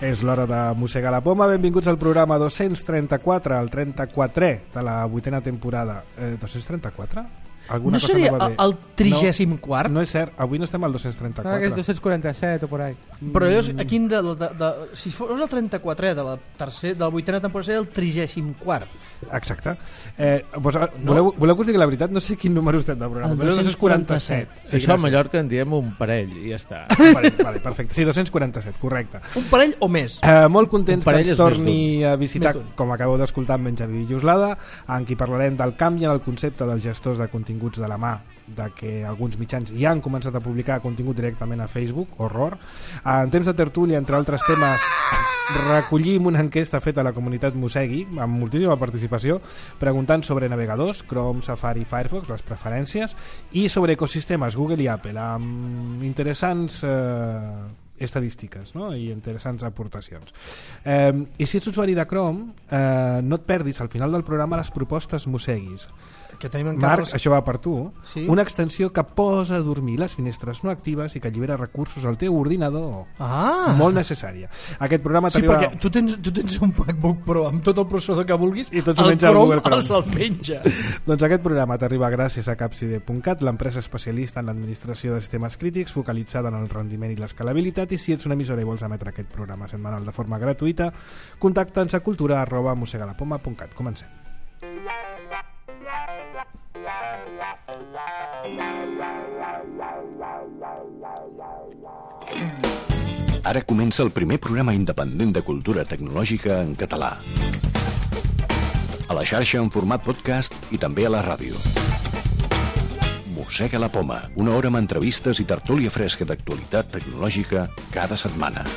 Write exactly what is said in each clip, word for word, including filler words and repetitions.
És l'hora de mossegar la poma. Benvinguts al programa dos-cents trenta-quatre, el trenta-quatrè de la vuitena temporada. Eh, dos-cents trenta-quatre? Alguna no cosa seria no el, el trigèsim quart? No, no és cert, avui no estem al dos-cents trenta-quatre. Ah, que és dos-cents quaranta-set o por ahí. Però llavors, aquí de, de, de, si fos el trenta-quatrè de la tercera, de la vuitena temporada, seria el trigèsim quart. Exacte. Eh, pues, no? voleu, voleu que us digui la veritat? No sé quin número estem del programa. El dos-cents quaranta-set. Sí, això a Mallorca en diem un parell i ja està. Vale, vale, perfecte. Sí, dos-cents quaranta-set, correcte. Un parell o més? Eh, molt contents que ens torni a visitar, com acabeu d'escoltar, amb Benjamí Villoslada, en qui parlarem del canvi en el concepte dels gestors de continguts de la mà, de que alguns mitjans ja han començat a publicar contingut directament a Facebook, horror. En temps de tertúlia, entre altres temes, recollim una enquesta feta a la comunitat Mossegui, amb moltíssima participació, preguntant sobre navegadors, Chrome, Safari, Firefox, les preferències, i sobre ecosistemes Google i Apple, amb interessants eh, estadístiques, no? I interessants aportacions. Eh, I si ets usuari de Chrome, eh, no et perdis al final del programa les propostes Mosseguis. Que tenim en Marc, Carles... això va per tu. Sí? Una extensió que posa a dormir les finestres no actives i que allibera recursos al teu ordinador. Ah! Molt necessària. Aquest programa sí, t'arriba... perquè tu tens, tu tens un MacBook Pro amb tot el processador que vulguis, i tots ho el menja Chrome Google Chrome. els el menja. Doncs aquest programa t'arriba gràcies a Capside punt cat, l'empresa especialista en l'administració de sistemes crítics focalitzada en el rendiment i l'escalabilitat, i si ets una emissora i vols emetre aquest programa setmanal de forma gratuïta, contacta'ns a cultura arroba mossegalapoma punt cat. Comencem. Ara comença el primer programa independent de cultura tecnològica en català. A la xarxa en format podcast i també a la ràdio. Mossega la poma, una hora amb entrevistes i tertúlia fresca d'actualitat tecnològica cada setmana.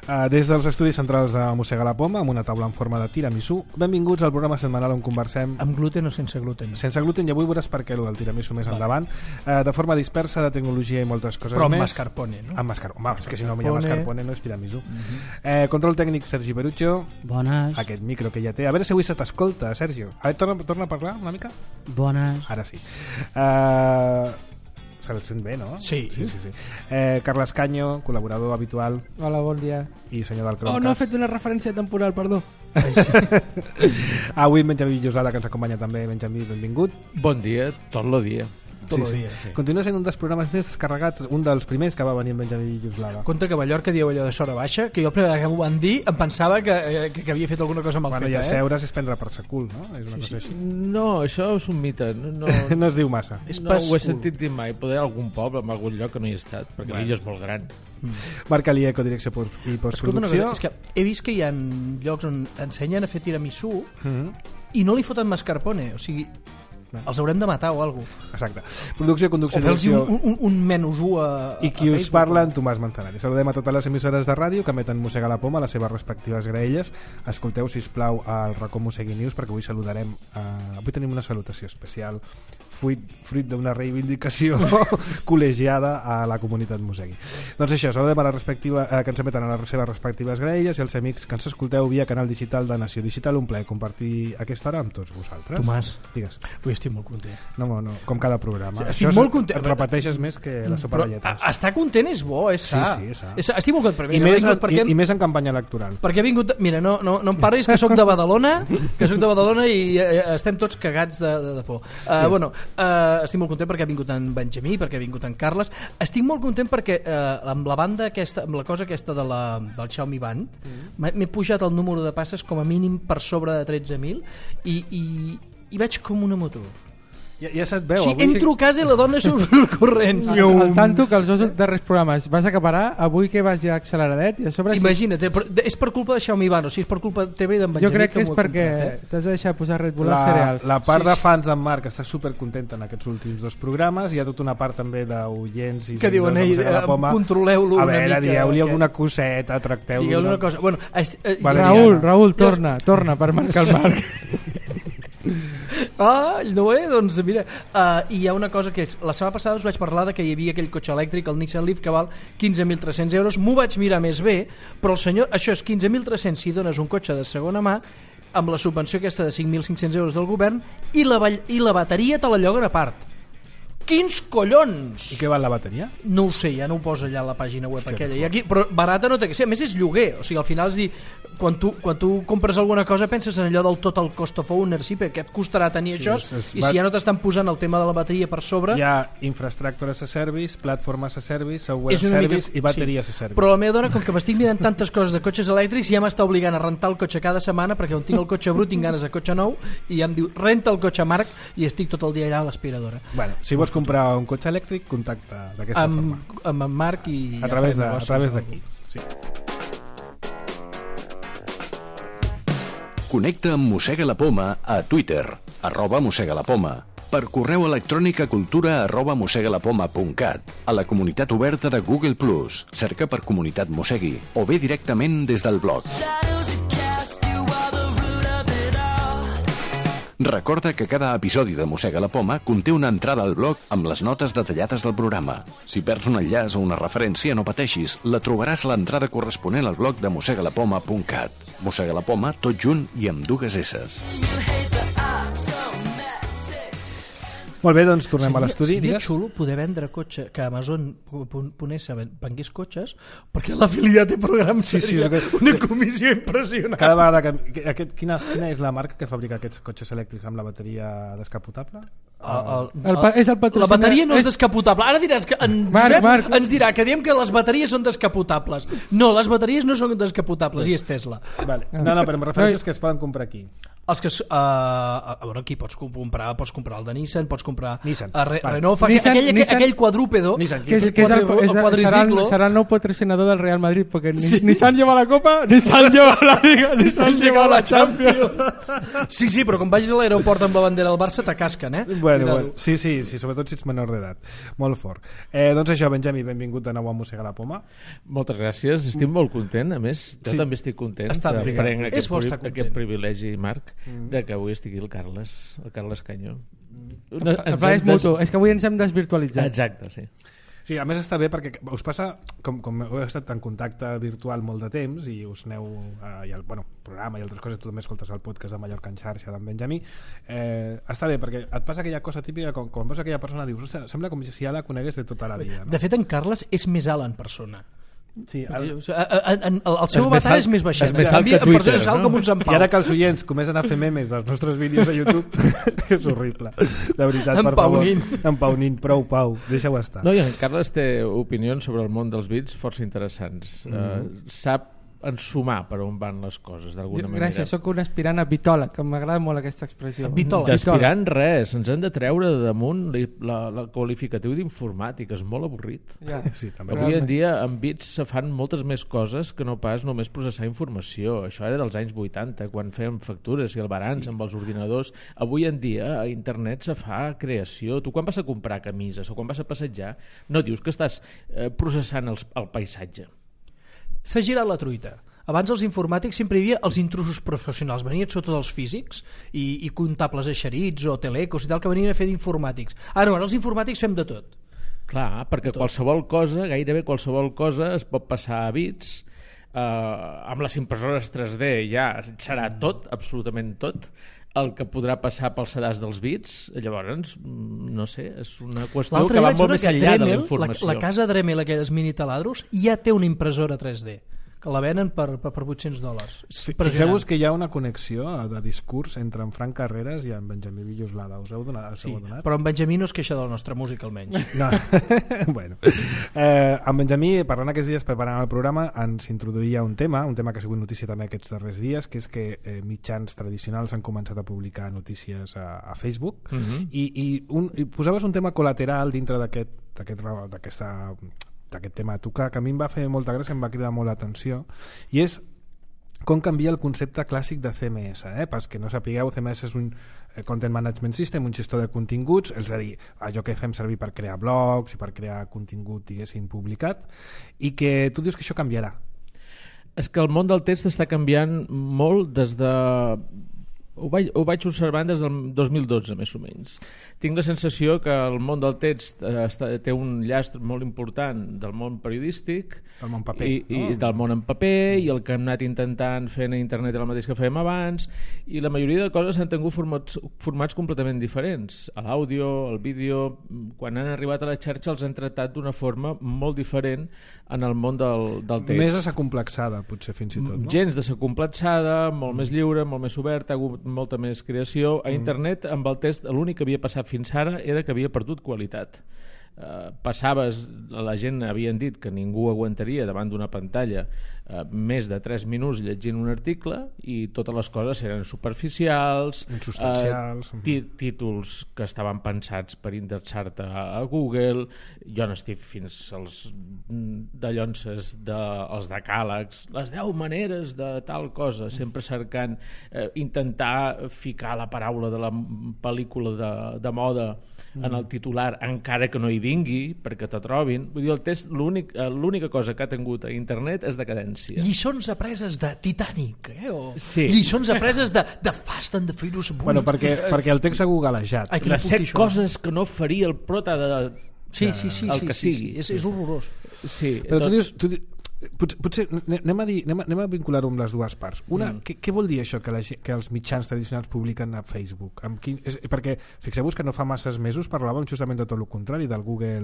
Uh, des dels estudis centrals de Mossega la Poma, amb una taula en forma de tiramisú, benvinguts al programa setmanal on conversem... Amb gluten o sense gluten? Sense gluten, i avui veuràs per què el del tiramisú més vale. endavant. Uh, de forma dispersa, de tecnologia i moltes coses Però més. amb mascarpone, no? Amb mascarpone. Home, és que si no hi ha mascarpone no és tiramisú. Uh-huh. uh, control tècnic, Sergi Perucho. Bones. Aquest micro que ja té. A veure si avui se t'escolta, Sergio. A veure, torna, torna a parlar una mica? Bones. Ara sí. Uh, Se el sent bé, no? Sí. sí, sí, sí. Eh, Carles Canyo, col·laborador habitual. Hola, bon dia. I senyor del Chromecast. Oh, no ha fet una referència temporal, perdó. Avui Benjamí Villoslada, que ens acompanya també. Benjamí, benvingut. Bon dia, tot el dia. Sí, sí. Dia, sí. Continua sent un dels programes més descarregats, un dels primers que va venir amb Benjamí Villoslada. Compte que Mallorca diu allò de sora baixa, que jo la primera vegada que m'ho van dir em pensava que, que, que havia fet alguna cosa mal bueno, feta. Bueno, i eh? asseure's és prendre per sa cul, no? És una sí, cosa sí. així. No, això és un mite. No, no, no es diu massa. No ho he sentit dir mai. Poder algun poble, en algun lloc que no hi he estat, perquè bueno. l'illa és molt gran. Mm. Marc Alié, codirecció i postproducció. És que he vist que hi ha llocs on ensenyen a fer tiramisú mm-hmm. i no li foten mascarpone, o sigui... els haurem de matar o alguna cosa. Exacte. Producció, conducció, o fer-los un, un, un menús a, i qui us parla, en Tomàs Manzanari. Saludem a totes les emissores de ràdio que emeten Mossega la Poma a les seves respectives graelles. Escolteu, sisplau, al racó Mossegui News, perquè avui saludarem uh, avui tenim una salutació especial fruit, fruit d'una reivindicació col·legiada a la comunitat Mossegui. Doncs això, saludem a la respectiva, uh, que ens emeten a les seves respectives graelles i els amics que ens escolteu via canal digital de Nació Digital. Un plaer compartir aquesta hora amb tots vosaltres. Tomàs, digues. Avui estic molt content. No, no, com cada programa. Sí, estic això molt content. Et repeteixes més que la sopa de lletres. Estar content és bo, és sa. Sí, sí, és sa. És sa. Estic molt content. I, més, en, perquè, i, I més en campanya electoral. Perquè he vingut... Mira, no, no, no em parlis que sóc de Badalona, que sóc de Badalona i eh, estem tots cagats de, de, de por. Uh, bueno, uh, estic molt content perquè ha vingut en Benjamí, perquè ha vingut en Carles. Estic molt content perquè uh, amb la banda aquesta, amb la cosa aquesta de la, del Xiaomi Band, mm. m'he pujat el número de passes com a mínim per sobre de tretze mil i, i, i vaig com una moto. Ja, ja se't veu. Sí, avui... entro a casa i la dona surt al corrent. Al, al tanto que els dos darrers programes vas acabar, avui que vas ja acceleradet i a sobre... Imagina't, sí. És per culpa de Xiaomi Band, o sigui, és per culpa teva i d'en Benjamí. Jo crec que, que és perquè comprat, eh? t'has de deixar posar Red Bull la, als cereals. La part sí, de fans d'en Marc està supercontenta en aquests últims dos programes. Hi ha tota una part també d'oients i que diuen, ei, controleu-lo una mica. A veure, dieu-li alguna coseta, tracteu-lo. Digueu-li una cosa. Bueno, est, eh, Raül, Raül, torna, torna per marcar el Marc. Ah, no, eh? Doncs mira, uh, i hi ha una cosa que és, la setmana passada us vaig parlar de que hi havia aquell cotxe elèctric, el Nissan Leaf, que val quinze mil tres-cents euros. M'ho vaig mirar més bé, però el senyor, això és quinze mil tres-cents si dones un cotxe de segona mà amb la subvenció aquesta de cinc mil cinc-cents euros del govern i la, i la bateria te la lloguen a part. Quins collons! I què val la bateria? No ho sé, ja no ho posa allà a la pàgina web aquella. I aquí, però barata no té que ser, a més és lloguer, o sigui, al final és dir, quan tu, quan tu compres alguna cosa penses en allò del total cost of ownership, que et costarà tenir sí, això, és, és, i si ja no t'estan posant el tema de la bateria per sobre... Hi ha infrastructure as a service, platform as a service, software as a service mica, i bateria sí. as a service. Però la meva dona, com que m'estic mirant tantes coses de cotxes elèctrics, ja m'està obligant a rentar el cotxe cada setmana, perquè on tinc el cotxe brut tinc ganes de cotxe nou, i ja em diu, renta el cotxe Marc, i estic tot el dia allà a l'aspiradora. Bueno, si vols comprar un cotxe elèctric, contacta d'aquesta amb, forma. Amb en Marc i... A través de, a través d'aquí, sí. Connecta amb Mossega la Poma a Twitter, arroba Mossega la Poma, per correu electrònic a cultura arroba mossegalapoma punt cat, a la comunitat oberta de Google plus, cerca per Comunitat Mossegui, o bé directament des del blog. Recorda que cada episodi de Mossega la Poma conté una entrada al blog amb les notes detallades del programa. Si perds un enllaç o una referència, no pateixis, la trobaràs a l'entrada corresponent al blog de mossegalapoma punt cat. Mossega la Poma, tot junt i amb dues esses. Molt bé, doncs tornem seria, a l'estudi. Seria xulo poder vendre cotxe, que Amazon ponés a vengués cotxes, perquè l'afiliat té programs, sí, seria sí, que... una comissió impressionant. Cada vegada que... Aquest, quina, quina és la marca que fabrica aquests cotxes elèctrics amb la bateria descapotable? El, el, el, el, és el la bateria no és, és descapotable. Ara diràs que en Marc, Josep Marc. ens dirà que diem que les bateries són descapotables. No, les bateries no són descapotables, i és Tesla. Vale. No, no, però em refereixo que es poden comprar aquí. Els que, uh, a veure, aquí pots comprar, pots comprar el de Nissan, pots comprar Nissan. a Re, vale. Renault, Nissan, aquell, Nissan, aquell quadrúpedo Nissan, que, és, que és el, és el, serà, el, serà el nou patrocinador del Real Madrid, perquè sí. Nissan lleva la Copa, Nissan lleva la Liga, Nissan lleva la Champions. Sí, sí, però quan vagis a l'aeroport amb la bandera del Barça t'acasquen, eh? Bueno, bueno, sí, sí, sí, sobretot si ets menor d'edat. Molt fort. Eh, doncs això, Benjamí, benvingut de nou a Mossega la Poma. Moltes gràcies, estic molt content, a més, jo sí. també estic content Està de prendre aquest, pri aquest privilegi, Marc, mm. de que avui estigui el Carles, el Carles Canyo. Una, el pla és mutu, és que avui ens hem desvirtualitzat. Exacte, sí. Sí, a més està bé perquè us passa, com, com heu estat en contacte virtual molt de temps i us aneu eh, al bueno, programa i altres coses, tu també escoltes el podcast de Mallorca en xarxa d'en Benjamí, eh, està bé perquè et passa aquella cosa típica, com, quan veus aquella persona dius, ostres, sembla com si ja la conegués de tota la vida, no? De fet, en Carles és més alt en persona. Sí, el, el, el, el seu avatar és més baixet, és més alt que Twitter, no? Com un Sant Pau. I ara que els oients comencen a fer memes dels nostres vídeos a YouTube és horrible, de veritat, per favor, empaunin, prou Pau, deixa-ho estar. No, i en Carles té opinions sobre el món dels bits força interessants. Mm-hmm. uh, sap ensumar per on van les coses d'alguna manera. Gràcies, sóc un aspirant a bitòleg, que m'agrada molt aquesta expressió. D'aspirant res, ens han de treure de damunt la, la qualificatiu d'informàtic, és molt avorrit. Ja. Sí, també. Avui en dia amb bits se fan moltes més coses que no pas només processar informació. Això era dels anys vuitanta, quan fèiem factures i albarans amb els ordinadors. Avui en dia a internet se fa creació. Tu quan vas a comprar camises o quan vas a passejar no dius que estàs eh, processant els, el paisatge. S'ha girat la truita. Abans els informàtics sempre hi havia els intrusos professionals, venien sota els físics i, i comptables eixerits o telecos i tal que venien a fer d'informàtics. Ara, ara els informàtics fem de tot. Clar, perquè qualsevol cosa, gairebé qualsevol cosa es pot passar a bits, eh, amb les impressores tres D ja serà tot, absolutament tot, el que podrà passar pel sedàs dels bits. Llavors, no sé, és una qüestió que va molt més enllà de la informació. La, la casa Dremel, aquelles mini taladros, ja té una impressora tres D que la venen per, per, per vuit-cents dòlars. Fixeu-vos que hi ha una connexió de discurs entre en Frank Carreras i en Benjamí Villoslada. Us heu donat? Us heu sí, donat? Però en Benjamí no es queixa de la nostra música, almenys. No. Bueno. Eh, en Benjamí, parlant aquests dies, preparant el programa, ens introduïa un tema, un tema que ha sigut notícia també aquests darrers dies, que és que eh, mitjans tradicionals han començat a publicar notícies a, a Facebook, uh-huh. i, i, un, i posaves un tema col·lateral dintre d'aquest, d'aquest, d'aquesta d'aquest tema tu, que, que a mi em va fer molta gràcia, em va cridar molt l'atenció, i és com canvia el concepte clàssic de C M S, eh? Pels que no sapigueu, C M S és un Content Management System, un gestor de continguts, és a dir, allò que fem servir per crear blogs i per crear contingut, diguéssim, publicat, i que tu dius que això canviarà. És que el món del text està canviant molt des de Ho vaig, ho vaig observant des del dos mil dotze, més o menys. Tinc la sensació que el món del text eh, està, té un llast molt important del món periodístic, del món paper, i, no? i del món en paper, i el que hem anat intentant fer a internet és el mateix que fèiem abans, i la majoria de coses han tingut formats, formats completament diferents. L'àudio, el vídeo, quan han arribat a la xarxa els han tractat d'una forma molt diferent en el món del, del text. Més desacomplexada, potser, fins i tot, no? Gens desacomplexada, molt més lliure, molt més oberta, ha hagut molta més creació. A internet, amb el test, l'únic que havia passat fins ara era que havia perdut qualitat. Uh, passaves, la gent havien dit que ningú aguantaria davant d'una pantalla uh, més de tres minuts llegint un article, i totes les coses eren superficials, insubstancials, uh, tí títols que estaven pensats per indexar-te a, a Google. Jo n'estic fins als dallonses de, els decàlegs, les deu maneres de tal cosa, sempre cercant uh, intentar ficar la paraula de la pel·lícula de, de moda en el titular, encara que no hi vingui, perquè te trobin. Vull dir, el test, l'única cosa que ha tingut a internet és decadència. Lliçons apreses de Titanic, eh? O sí. Lliçons apreses de, de Fast and the Furious vuit. Bueno, perquè, perquè el text ha googlejat. Ai, les set coses que no faria el prota de... Sí, sí, sí, el sí, que sí, sigui. sí. És, és horrorós. Sí, però tot... tu dius... Tu dius Potser, potser anem, a dir, anem, a, anem a vincular-ho amb les dues parts. Una, mm. què, què vol dir això que, la, que els mitjans tradicionals publiquen a Facebook? Amb quin, és, perquè fixeu-vos que no fa masses mesos parlàvem justament de tot el contrari, del Google,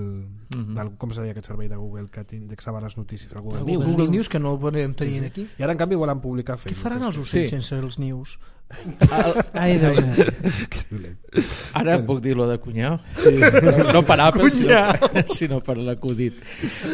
mm-hmm. del, com se deia aquest servei de Google que indexava les notícies, el Google, el News. Google News, que no el podem tenir sí, sí. aquí. I ara en canvi volen publicar a Facebook. Què faran els ocells sí. sense els nius? Ai, dona. Que dolent. Ara puc dir-lo de cunyau? Sí. No, no per Apple, sinó, sinó per l'acudit.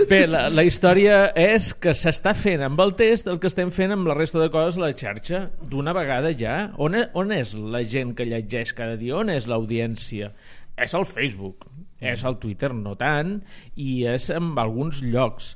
Bé, la, la història és que s'està fent amb el test el que estem fent amb la resta de coses a la xarxa d'una vegada ja. On, on és la gent que llegeix cada dia? On és l'audiència? És al Facebook, és al Twitter no tant, i és en alguns llocs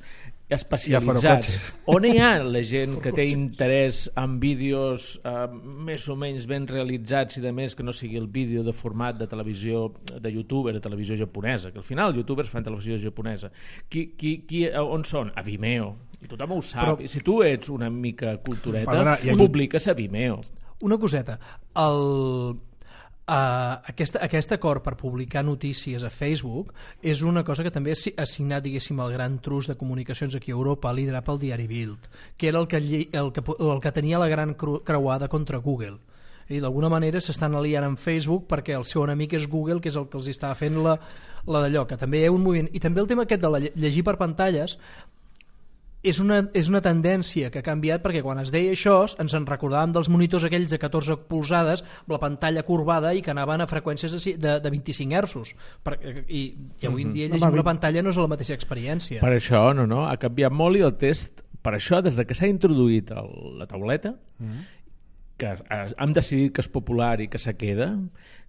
especialitzats. On hi ha la gent que té interès en vídeos eh, més o menys ben realitzats i de més que no sigui el vídeo de format de televisió, de youtuber, de televisió japonesa, que al final els youtubers fan televisió japonesa. Qui, qui, qui, on són? A Vimeo. I tothom ho sap. Però, si tu ets una mica cultureta, perdona, aquí... publiques a Vimeo. Una coseta. El... Uh, aquest, aquest acord per publicar notícies a Facebook és una cosa que també ha signat, diguéssim, el gran trust de comunicacions aquí a Europa, liderat pel diari Bild, que era el que, el que, el que tenia la gran creuada contra Google. I d'alguna manera s'estan aliant amb Facebook perquè el seu enemic és Google, que és el que els està fent la, la d'allò, que també hi ha un moviment. I també el tema aquest de la llegir per pantalles és una, és una tendència que ha canviat, perquè quan es deia això ens en recordàvem dels monitors aquells de catorze polzades amb la pantalla corbada i que anaven a freqüències de, de, de vint-i-cinc hertzos per, i, i avui en dia llegir una pantalla no és la mateixa experiència. Per això no, no, ha canviat molt, i el test, per això, des de que s'ha introduït el, la tauleta, mm. que hem decidit que és popular i que se queda,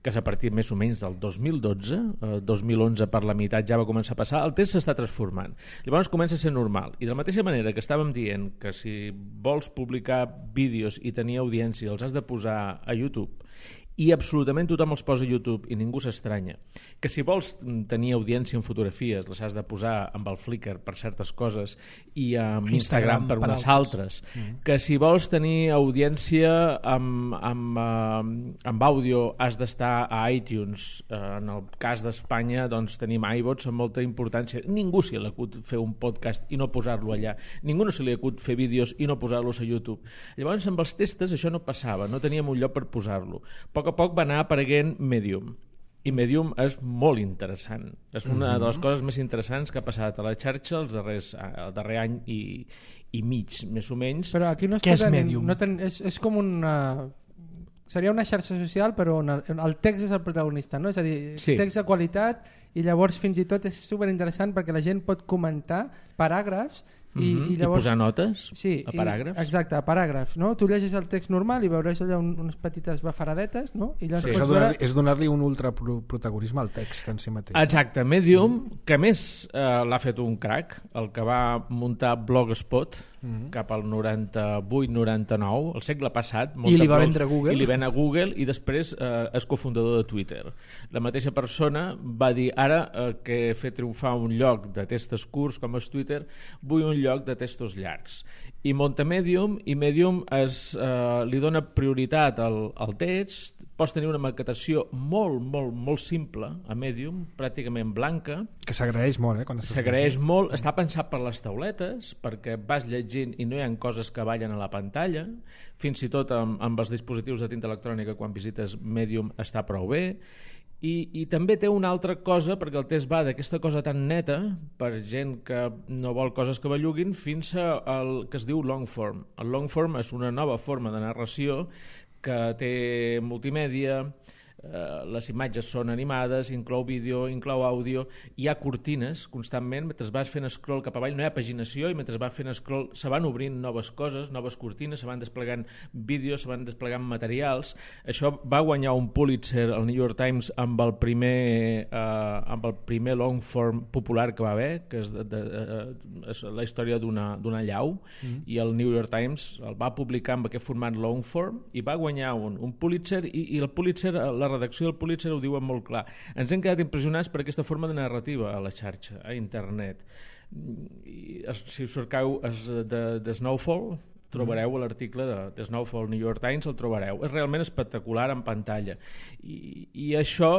que és a partir més o menys del dos mil dotze, eh, dos mil onze per la meitat ja va començar a passar, el test s'està transformant. Llavors comença a ser normal. I de la mateixa manera que estàvem dient que si vols publicar vídeos i tenir audiència els has de posar a YouTube, i absolutament tothom els posa a YouTube i ningú s'estranya, que si vols tenir audiència en fotografies les has de posar amb el Flickr per certes coses i amb Instagram, Instagram per, per unes altres, mm. que si vols tenir audiència amb, amb, amb, amb àudio has d'estar a iTunes, en el cas d'Espanya doncs tenim iVots amb molta importància. Ningú se li acut fer un podcast i no posar-lo allà, ningú no se li acut fer vídeos i no posar-los a YouTube. Llavors amb els testes això no passava, no teníem un lloc per posar-lo. A poc a poc va anar apareguent Medium, i Medium és molt interessant, és una mm-hmm. de les coses més interessants que ha passat a la xarxa els darrers, el darrer any i, i mig, més o menys. Però aquí no què és Medium? No ten, és, és com una... seria una xarxa social però on el, el text és el protagonista, no? És a dir, sí. text de qualitat, i llavors fins i tot és superinteressant perquè la gent pot comentar paràgrafs I, mm-hmm. i, llavors, I posar notes sí, a paràgrafs. I, exacte, a paràgrafs, no? Tu llegeix el text normal i veuràs allà un, unes petites bafaradetes, no? I sí, és donar-li veure... donar un ultraprotagonisme al text en si mateix. Exacte, Medium, que més eh, l'ha fet un crack, el que va muntar Blogspot, mm-hmm. cap al noranta-vuit noranta-nou, el segle passat. I li va vendre Google. I li ven a Google i després eh, és cofundador de Twitter. La mateixa persona va dir, ara eh, que he fet triomfar un lloc de textos curts com és Twitter, vull un lloc de textos llargs. I munta Medium, i Medium es, eh, li dona prioritat al, al text. Pots tenir una maquetació molt, molt, molt simple a Medium, pràcticament blanca. Que s'agraeix molt, eh? S'agraeix molt. Està pensat per les tauletes, perquè vas llegint i no hi ha coses que ballen a la pantalla. Fins i tot amb, amb els dispositius de tinta electrònica, quan visites Medium, està prou bé. I, i també té una altra cosa, perquè el text va d'aquesta cosa tan neta, per gent que no vol coses que belluguin, fins al que es diu long form. El long form és una nova forma de narració que té multimèdia, eh, les imatges són animades, inclou vídeo, inclou àudio, hi ha cortines constantment, mentre vas fent scroll cap avall no hi ha paginació, i mentre vas fent scroll se van obrint noves coses, noves cortines, se van desplegant vídeos, se van desplegant materials. Això va guanyar un Pulitzer al New York Times amb el primer, eh, amb el primer long form popular que va haver, que és, de, de, de, és la història d'una, d'una llau, mm. i el New York Times el va publicar amb aquest format long form i va guanyar un, un Pulitzer, i, i el Pulitzer, la redacció del Pulitzer ho diuen molt clar. Ens hem quedat impressionats per aquesta forma de narrativa a la xarxa, a internet. I, si us cercau de, de Snowfall, trobareu l'article de, de Snowfall New York Times, el trobareu. És realment espectacular en pantalla. I, i això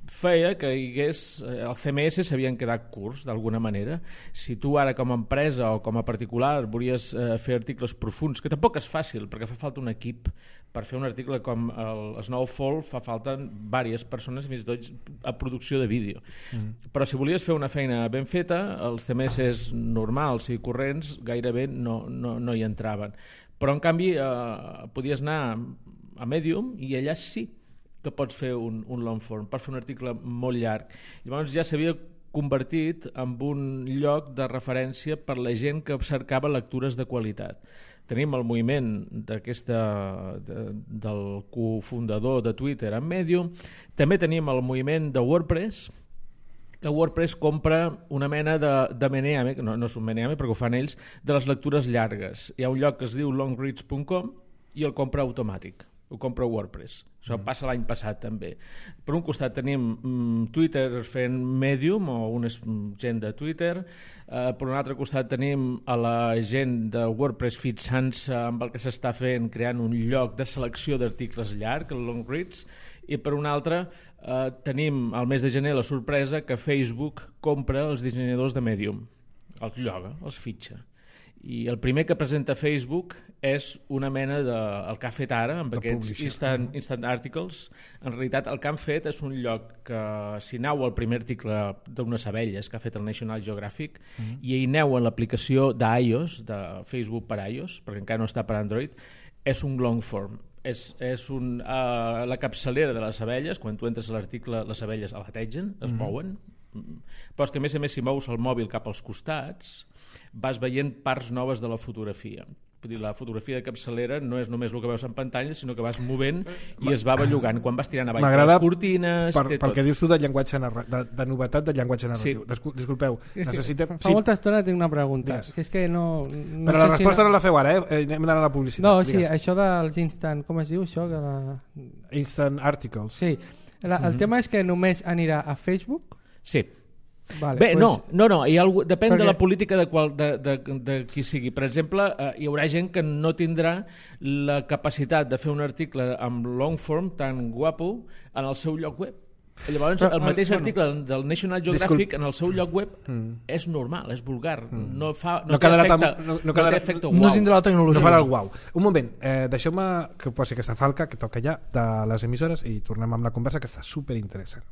feia que hi hagués... El C M S s'havien quedat curts, d'alguna manera. Si tu ara com a empresa o com a particular volies eh, fer articles profuns, que tampoc és fàcil, perquè fa falta un equip per fer un article com el Snowfall, fa falta diverses persones, fins i tot a producció de vídeo. Mm. Però si volies fer una feina ben feta, els C M S normals i corrents gairebé no, no, no hi entraven. Però en canvi eh, podies anar a Medium i allà sí que pots fer un, un long form, per fer un article molt llarg. Llavors ja s'havia convertit en un lloc de referència per la gent que cercava lectures de qualitat. Tenim el moviment d'aquesta de, del cofundador de Twitter en Medium, també tenim el moviment de WordPress, que WordPress compra una mena de, de meneame, no, no és un meneame perquè ho fan ells, de les lectures llargues. Hi ha un lloc que es diu longreads punt com i el compra automàtic, ho compra WordPress. Això mm. passa l'any passat també. Per un costat tenim mm, Twitter fent Medium o una gent de Twitter, eh, per un altre costat tenim a la gent de WordPress fixant-se amb el que s'està fent, creant un lloc de selecció d'articles llarg, el Longreads, i per un altre eh, tenim al mes de gener la sorpresa que Facebook compra els dissenyadors de Medium, els lloga, els fitxa. I el primer que presenta Facebook és una mena de... el que ha fet ara amb aquests instant, instant articles. En realitat el que han fet és un lloc que si aneu al primer article d'unes abelles que ha fet el National Geographic mm-hmm. i hi aneu en l'aplicació d'iOS, de Facebook per iOS, perquè encara no està per Android, és un long form. És, és un, uh, la capçalera de les abelles, quan tu entres a l'article les abelles alategen, es mm-hmm. mouen, però és que a més a més si mous el mòbil cap als costats vas veient parts noves de la fotografia. Vull dir, la fotografia de capçalera no és només el que veus en pantalla, sinó que vas movent i es va bellugant quan vas tirant avall les cortines. Per, pel que dius tu de llenguatge de, de novetat del llenguatge narratiu. Sí. Disculpeu, necessitem... Fa molta estona tinc una pregunta. Que és que no, no Però la resposta si no... no la feu ara, eh? Anem d'anar a la publicitat. No, sí, digues. Això dels instant... Com es diu això? Que la... Instant articles. Sí. La, el mm-hmm. tema és que només anirà a Facebook? Sí. Vale, Bé, pues... no, no, no, hi ha algú, depèn Perquè... de la política de, qual, de, de, de qui sigui. Per exemple, eh, hi haurà gent que no tindrà la capacitat de fer un article amb long form tan guapo en el seu lloc web. Llavors, Però, el mateix bueno, article del National Geographic Disculp... en el seu lloc web mm. és normal, és vulgar. Mm. No, fa, no, no, té efecte, tam... no, no, no té efecte uau. No tindrà la tecnologia. No farà el uau. Un moment, eh, deixeu-me que posi aquesta falca que toca ja de les emissores i tornem amb la conversa que està superinteressant.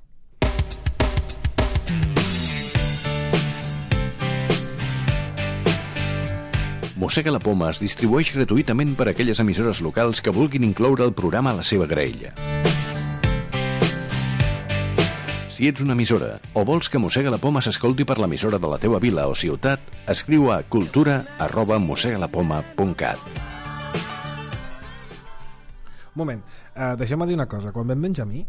Mossega la Poma es distribueix gratuïtament per a aquelles emissores locals que vulguin incloure el programa a la seva graella. Si ets una emissora o vols que Mossega la Poma s'escolti per l'emissora de la teua vila o ciutat, escriu a cultura arroba mossegalapoma punt cat. Un moment, uh, deixeu-me dir una cosa. Quan vam Benjamí,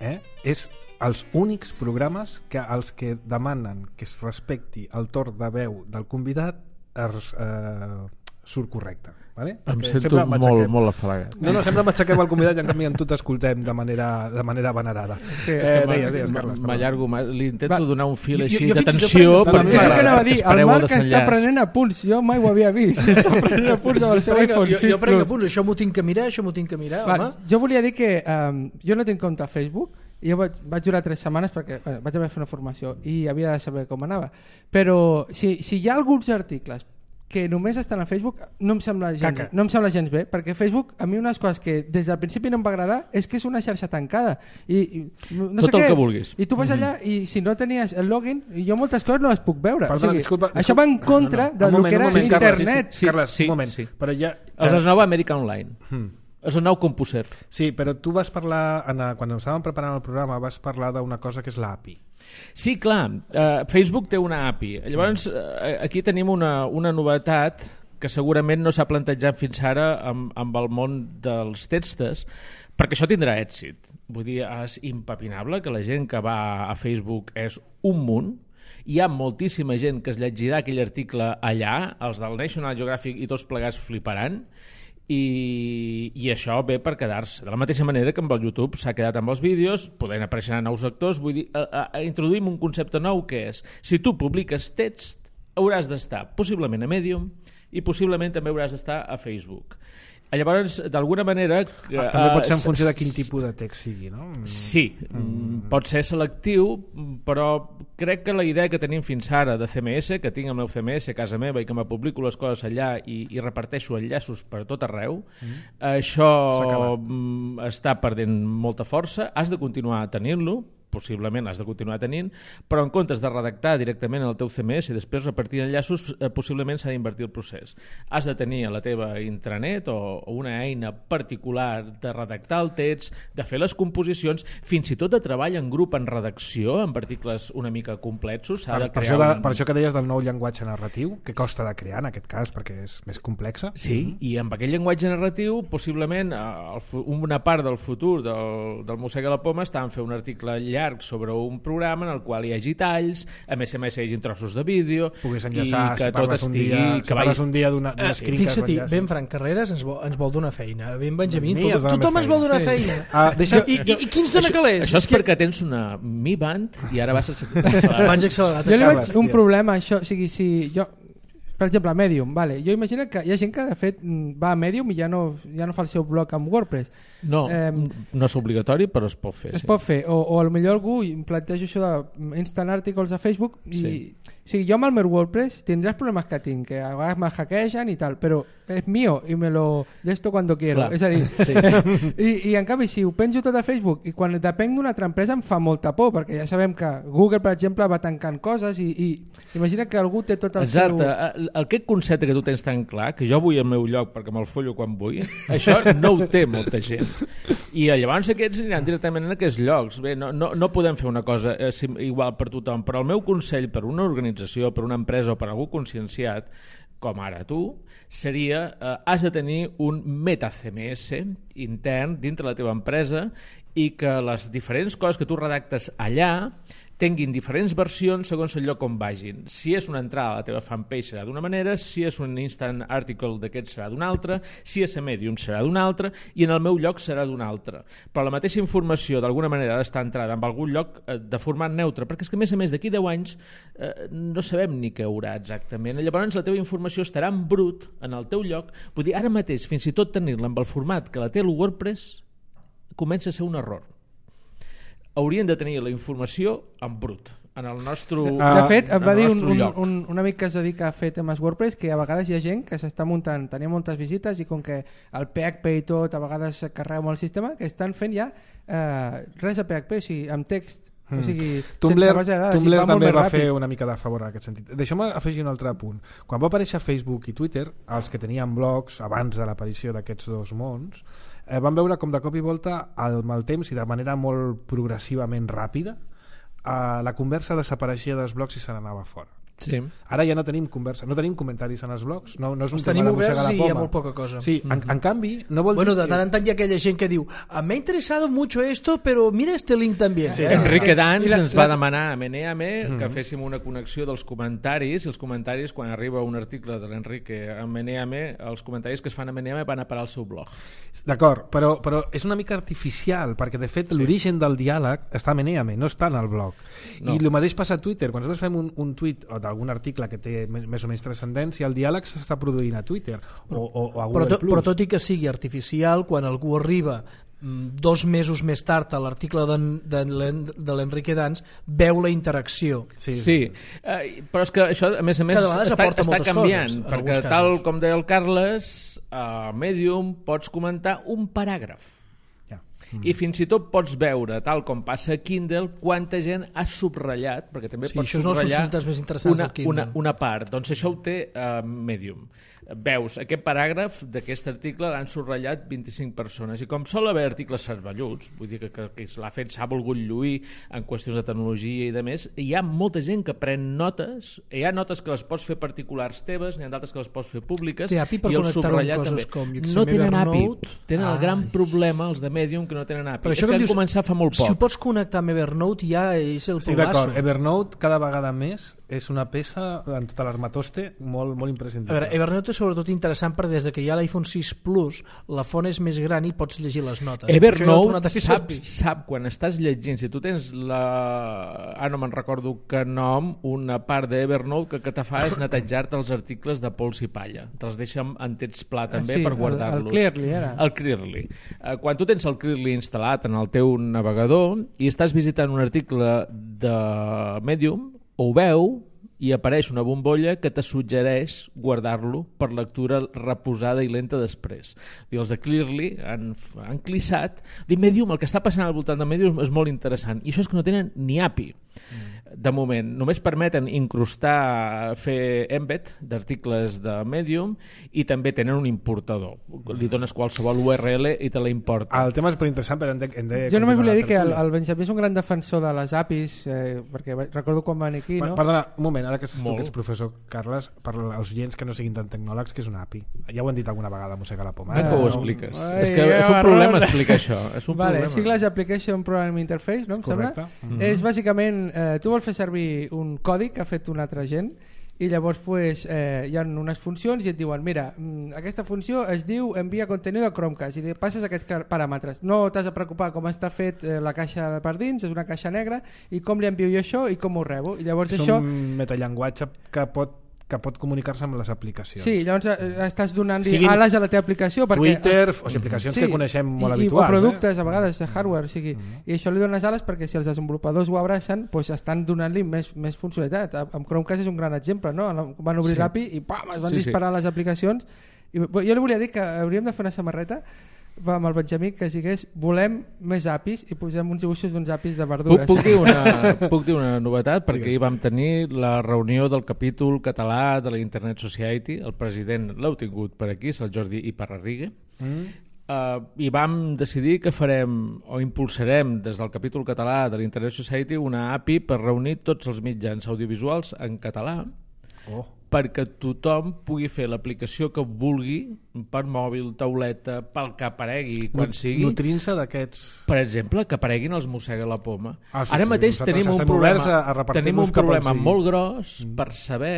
eh, és els únics programes que els que demanen que es respecti el torn de veu del convidat es, eh, surt correcte. Vale? Em sento molt, molt afalagat. No, no, sempre m'aixequem el convidat i en canvi en tu t'escoltem de manera, de manera venerada. Sí, eh, deies, deies, Carles. M'allargo, li intento Va. donar un fil Jo- així jo- jo d'atenció fins- jo- perquè És el que anava a dir, el espereu el Marc està desenllaç. prenent apunts, jo mai ho havia vist. Està prenent apunts del seu Prenc- iPhone jo, sis jo prenc Plus. apunts, això m'ho tinc que mirar, això m'ho tinc que mirar, Va, home. jo volia dir que um, jo no tinc compte a Facebook i jo vaig, vaig durar tres setmanes perquè bueno, vaig haver de fer una formació i havia de saber com anava, però si, si hi ha alguns articles que només estan a Facebook no em sembla gens, Caca. no em sembla gens bé, perquè Facebook a mi unes coses que des del principi no em va agradar és que és una xarxa tancada i, i no Tot sé el què, que vulguis. i tu vas allà i si no tenies el login i jo moltes coses no les puc veure. Perdona, o sigui, disculpa, això disculpa. va en contra No, no. del Un moment, que era un moment, Carles, internet. Sí, Carles, sí, un moment. sí. Però ja, Els eh, es nou America Online. hmm. És el nou CompuServe. Sí, però tu vas parlar, en, quan estàvem preparant el programa, vas parlar d'una cosa que és l'A P I. Sí, clar, uh, Facebook té una A P I. Llavors, uh, aquí tenim una, una novetat que segurament no s'ha plantejat fins ara amb, amb el món dels textos, perquè això tindrà èxit. Vull dir, és impepinable que la gent que va a Facebook és un munt, hi ha moltíssima gent que es llegirà aquell article allà, els del National Geographic i tots plegats fliparan, i, i això ve per quedar-se. De la mateixa manera que amb el YouTube s'ha quedat amb els vídeos, podent aparèixer nous actors, vull dir, a, a, a introduïm un concepte nou que és, si tu publiques text, hauràs d'estar possiblement a Medium i possiblement també hauràs d'estar a Facebook. Llavors, d'alguna manera... Ah, també pot ser en eh, funció de quin tipus de text sigui, no? Sí, mm. pot ser selectiu, però crec que la idea que tenim fins ara de C M S, que tinc el meu C M S a casa meva i que me publico les coses allà i, i reparteixo enllaços per tot arreu, mm. això mm, està perdent molta força, has de continuar tenint-lo, possiblement has de continuar tenint, però en comptes de redactar directament el teu C M S i després repartir enllaços, eh, possiblement s'ha d'invertir el procés. Has de tenir a la teva intranet o, o una eina particular de redactar el text, de fer les composicions, fins i tot de treball en grup en redacció, en articles una mica complexos. Per, de per, crear això de, un... per això que deies del nou llenguatge narratiu, que costa de crear en aquest cas, perquè és més complexa. Sí, mm-hmm. i amb aquell llenguatge narratiu, possiblement eh, el, una part del futur del, del Mossega la Poma està en fer un article llarg sobre un programa en el qual hi hagi talls, a més a més hi hagi trossos de vídeo, puguis enllaçar, i que si tot parles un estigui... dia, que si parles vagis... un dia d'una Ah, screen Fixa-t'hi, ben Frank Carreras ens vol, ens vol donar feina. Ben Benjamí, Mi es dona tothom més ens vol donar feina. feina. Ah, deixa- I, i, I qui ens dona Això, calés? això és perquè tens una Mi Band i ara vas a... Abans accelerat. Jo li Carles, veig un digues. problema, això, o sigui, si jo, per exemple, Medium, vale. Jo imagino que hi ha gent que de fet mm, va a Medium i ja no, ja no fa el seu blog amb WordPress. No, Eh, no és obligatori, però es pot fer. Es sí. pot fer, o, o potser algú em planteja això de instant articles a Facebook i, Sí. o sigui, jo amb el meu WordPress tindràs problemes que tinc, que a vegades me hackegen i tal, però és mío i me lo llesto cuando quiero. Clar. És a dir, Sí. i, i en canvi si ho penjo tot a Facebook i quan depenc d'una altra empresa em fa molta por, perquè ja sabem que Google, per exemple, va tancant coses i, i imagina que algú té tot el Exacte, seu... el, aquest concepte que tu tens tan clar, que jo vull al meu lloc perquè me'l follo quan vull, això no ho té molta gent. I llavors aquests aniran directament en aquests llocs. Bé, no, no, no podem fer una cosa eh, igual per tothom, però el meu consell per una organització, per una empresa o per algú conscienciat, com ara tu, seria eh, has de tenir un meta-C M S intern dintre la teva empresa i que les diferents coses que tu redactes allà tinguin diferents versions segons el lloc on vagin. Si és una entrada a la teva fanpage serà d'una manera, si és un instant article d'aquest serà d'una altra, si és a Medium serà d'una altra i en el meu lloc serà d'una altra. Però la mateixa informació d'alguna manera ha d'estar entrada en algun lloc eh, de format neutre, perquè és que a més a més d'aquí deu anys eh, no sabem ni què haurà exactament. Llavors la teva informació estarà en brut en el teu lloc. Vull dir, ara mateix fins i tot tenir-la amb el format que la té el WordPress comença a ser un error. Haurien de tenir la informació en brut, en el nostre, Uh, De fet, em va dir un, un, lloc. un, un amic que es dedica a fer temes WordPress que a vegades hi ha gent que s'està muntant, tenia moltes visites i com que el P H P i tot a vegades carrega molt el sistema, que estan fent ja eh, res de P H P, o sigui, amb text. Mm. O sigui, Tumblr, sense base de dades, Tumblr i va molt també més va ràpid. fer una mica de favor en aquest sentit. Deixeu-me afegir un altre punt. Quan va aparèixer Facebook i Twitter, els que tenien blogs abans de l'aparició d'aquests dos mons, eh, van veure com de cop i volta amb el temps i de manera molt progressivament ràpida eh, la conversa desapareixia dels blogs i se n'anava fora. Sí. Ara ja no tenim conversa, no tenim comentaris en els blogs, no, no és un els tema tenim de Mossega oberts la i Poma. hi ha molt poca cosa. Sí, en, en canvi, no vol bueno, dir... de tant en tant hi ha aquella gent que diu me ha interesado mucho esto, pero mira este link también. Sí, eh? Enrique Dans la, ens la... va demanar a Meneame mm -hmm. que Mhm. féssim una connexió dels comentaris, i els comentaris, quan arriba un article de l'Enrique a Meneame, els comentaris que es fan a Meneame van a parar al seu blog. D'acord, però, però és una mica artificial, perquè de fet sí. l'origen del diàleg està a Meneame, no està en el blog. No. I el mateix passa a Twitter. Quan nosaltres fem un, un tuit o d'algun article que té més o menys transcendència, el diàleg s'està produint a Twitter o, o, o a Google+. Però, to, però tot i que sigui artificial, quan algú arriba dos mesos més tard a l'article de l'Enrique Dans, veu la interacció. Sí, sí. Uh, però és que això, a més a més, està, està canviant, coses, perquè tal com deia el Carles, a Medium pots comentar un paràgraf. Mm. I fins i tot pots veure, tal com passa a Kindle, quanta gent ha subratllat, perquè també sí, pots subratllar més una, una, una part. Doncs això ho té uh, Medium. Veus, aquest paràgraf d'aquest article l'han subratllat vint-i-cinc persones, i com sol haver articles cervelluts, vull dir que, que, que l'ha fet, s'ha volgut lluir en qüestions de tecnologia i de més, hi ha molta gent que pren notes, hi ha notes que les pots fer particulars teves, n'hi ha d'altres que les pots fer públiques, i el subratllat també. Com, no tenen A P I, tenen ah, el gran problema els de Medium que no tenen A P I. Però és que han dius, començat fa molt poc. Si ho pots connectar amb Evernote ja és el sí, pedaço. D'acord, Evernote cada vegada més és una peça en tota l'armatoste molt, molt imprescindible. A veure, Evernote és sobretot interessant perquè des que hi ha l'iPhone sis Plus la font és més gran i pots llegir les notes. Evernote sap, sap quan estàs llegint, si tu tens la... ah, no me'n recordo que nom, una part d'Evernote que, que te fa és netejar-te els articles de pols i palla, te'ls deixa en text pla també, ah, sí, per guardar-los. El, el Clearly era. El Clearly. Uh, quan tu tens el Clearly instal·lat en el teu navegador i estàs visitant un article de Medium, ho veu i apareix una bombolla que te suggereix guardar-lo per lectura reposada i lenta després. I els de Clearly han, han clissat. Dic, Medium, el que està passant al voltant de Medium és molt interessant. I això és que no tenen ni A P I. Mm. De moment, només permeten incrustar, fer embed d'articles de Medium i també tenen un importador. Li dones qualsevol U R L i te la importa. El tema és molt interessant, però hem de, hem de jo només volia dir que el, el Benjamí és un gran defensor de les A P Is, eh, perquè recordo quan van aquí, no? Perdona, un moment, ara que saps tu que ets professor, Carles, per als oients que no siguin tan tecnòlegs, que és una A P I? Ja ho hem dit alguna vegada, Mossega la Poma. Eh? Que ho expliques. Ai, és que és un problema explicar això. És un vale, problema. Sigles Application Programming Interface, no em sembla? Mm-hmm. És bàsicament, eh, tu vols fer servir un codi que ha fet una altra gent i llavors pues, eh, hi ha unes funcions i et diuen, mira, aquesta funció es diu envia contenido a Chromecast i li passes aquests paràmetres. No t'has de preocupar com està fet eh, la caixa per dins, és una caixa negra, i com li envio jo això i com ho rebo. I llavors és això... un metallenguatge que pot que pot comunicar-se amb les aplicacions. Sí, llavors eh, estàs donant-li ales a la teva aplicació. Perquè, Twitter, o sigui, aplicacions sí, que coneixem molt i, habituals. I productes, eh? a vegades, de hardware. O sigui, mm-hmm. I això li dones ales perquè si els desenvolupadors ho abracen, pues estan donant-li més, més funcionalitat. Amb Chromecast és un gran exemple, no? Van obrir sí. l'A P I i pam, es van sí, disparar sí. les aplicacions. I, jo li volia dir que hauríem de fer una samarreta amb el Benjamí que sigués volem més A P Is i posem uns dibuixos d'uns A P Is de verdures. Puc, puc, dir una, puc dir una novetat perquè ahir vam tenir la reunió del capítol català de la Internet Society, el president l'heu tingut per aquí, és el Jordi Iparrarrigue, mm. uh, i vam decidir que farem o impulsarem des del capítol català de la Internet Society una A P I per reunir tots els mitjans audiovisuals en català oh. perquè tothom pugui fer l'aplicació que vulgui per mòbil, tauleta, pel que aparegui quan Nut sigui. Nutrint-se d'aquests... Per exemple, que apareguin els Mossega la Poma. Ah, sí, Ara sí, mateix tenim un problema, a, a tenim un problema molt gros mm. per saber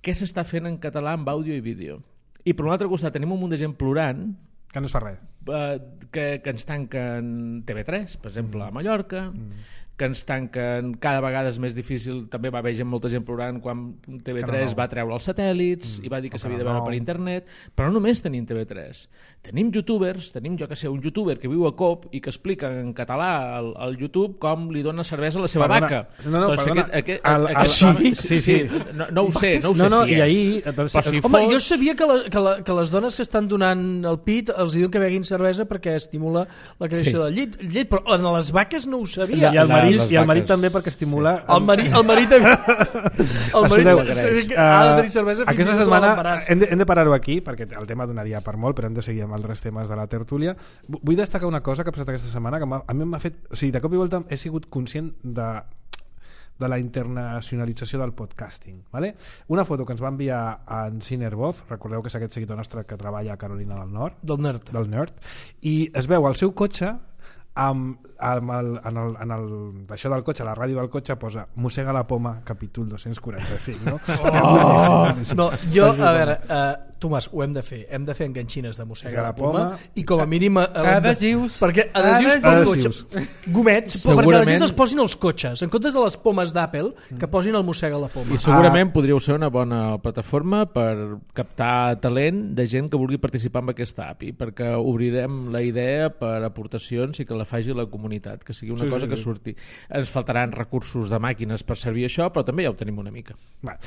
què s'està fent en català amb àudio i vídeo. I per un altre costat tenim un munt de gent plorant que no es fa res. Eh, que, que ens tanquen T V tres, per exemple, mm. a Mallorca, mm. que ens tanquen, cada vegada és més difícil, també va haver gent, molta gent plorant quan T V tres no. va treure els satèl·lits mm. i va dir que s'havia de veure no. per internet, però no només tenim T V tres, tenim youtubers, tenim jo que sé, un youtuber que viu a Cop i que explica en català al, al YouTube com li dona cervesa a la seva perdona. vaca. No, no, doncs perdona. Aquest, aquest, el, el, aquest, sí, sí, sí. No, no ho sé, no ho sé no, no, si i és. ahir, doncs, però si home, fos... jo sabia que, la, que, la, que les dones que estan donant el pit els diuen que beguin cervesa perquè estimula la creació sí. del llet, llet, però en les vaques no ho sabia. I el marit, i el marit també perquè estimula... Sí. El marit, el marit, el marit uh, ha de tenir cervesa fins aquesta i tot setmana l'embaràs. hem de, hem de parar-ho aquí perquè el tema donaria per molt, però hem de seguir amb altres temes de la tertúlia. Vull destacar una cosa que ha passat aquesta setmana que a mi m'ha fet... O sigui, de cop i volta he sigut conscient de de la internacionalització del podcasting. Vale? Una foto que ens va enviar en Cinerbov, recordeu que és aquest seguidor nostre que treballa a Carolina del Nord, del Nerd, del Nerd, i es veu el seu cotxe amb, amb el, en, el, en el, això del cotxe, la ràdio del cotxe posa Mossega la Poma, capítol dos-cents quaranta-cinc, no? Oh! No, jo, a veure, uh, Tomàs, ho hem de fer, hem de fer enganxines de Mossega la Poma, i com a mínim adhesius, perquè adhesius pel cotxe, gomets, segurament... perquè la gent es posin els cotxes en comptes de les pomes d'Apple, que posin el Mossega la Poma. I segurament ah. podríeu ser una bona plataforma per captar talent de gent que vulgui participar en aquesta A P I, perquè obrirem la idea per aportacions i que la faci la comunitat, que sigui una sí, cosa sí, que surti. Ens faltaran recursos de màquines per servir això, però també ja ho tenim una mica. Va.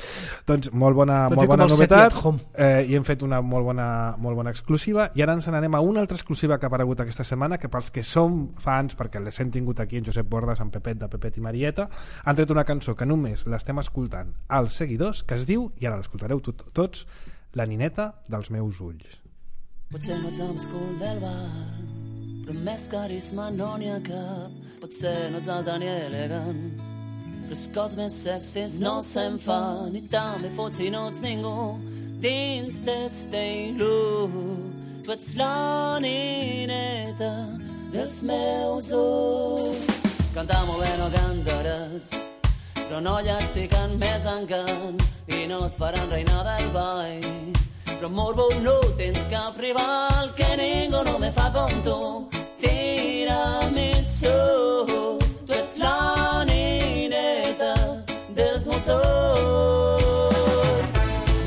Doncs molt bona, molt bona novetat, eh, i hem fet una molt bona, molt bona exclusiva, i ara ens n'anem a una altra exclusiva que ha aparegut aquesta setmana, que pels que som fans, perquè les hem tingut aquí en Josep Bordes, en Pepet, de Pepet i Marieta, han tret una cançó que només l'estem escoltant als seguidors, que es diu, i ara l'escoltareu tot, tots, La nineta dels meus ulls. Potser no ets amb escul del bar, però més carisma no n'hi ha cap. Potser no ets alta ni elegant, però els cops més sexis no se'n fan, i també fots si no ets ningú dins d'esteilu. Tu ets la nineta dels meus ulls. Cantar molt bé no cantaràs, però no llats si can més encant, i no et faran reina del ball. Però morbo no tens cap rival, que ningú no me fa com tu. Tiramisú, tu ets la nineta dels meus ulls.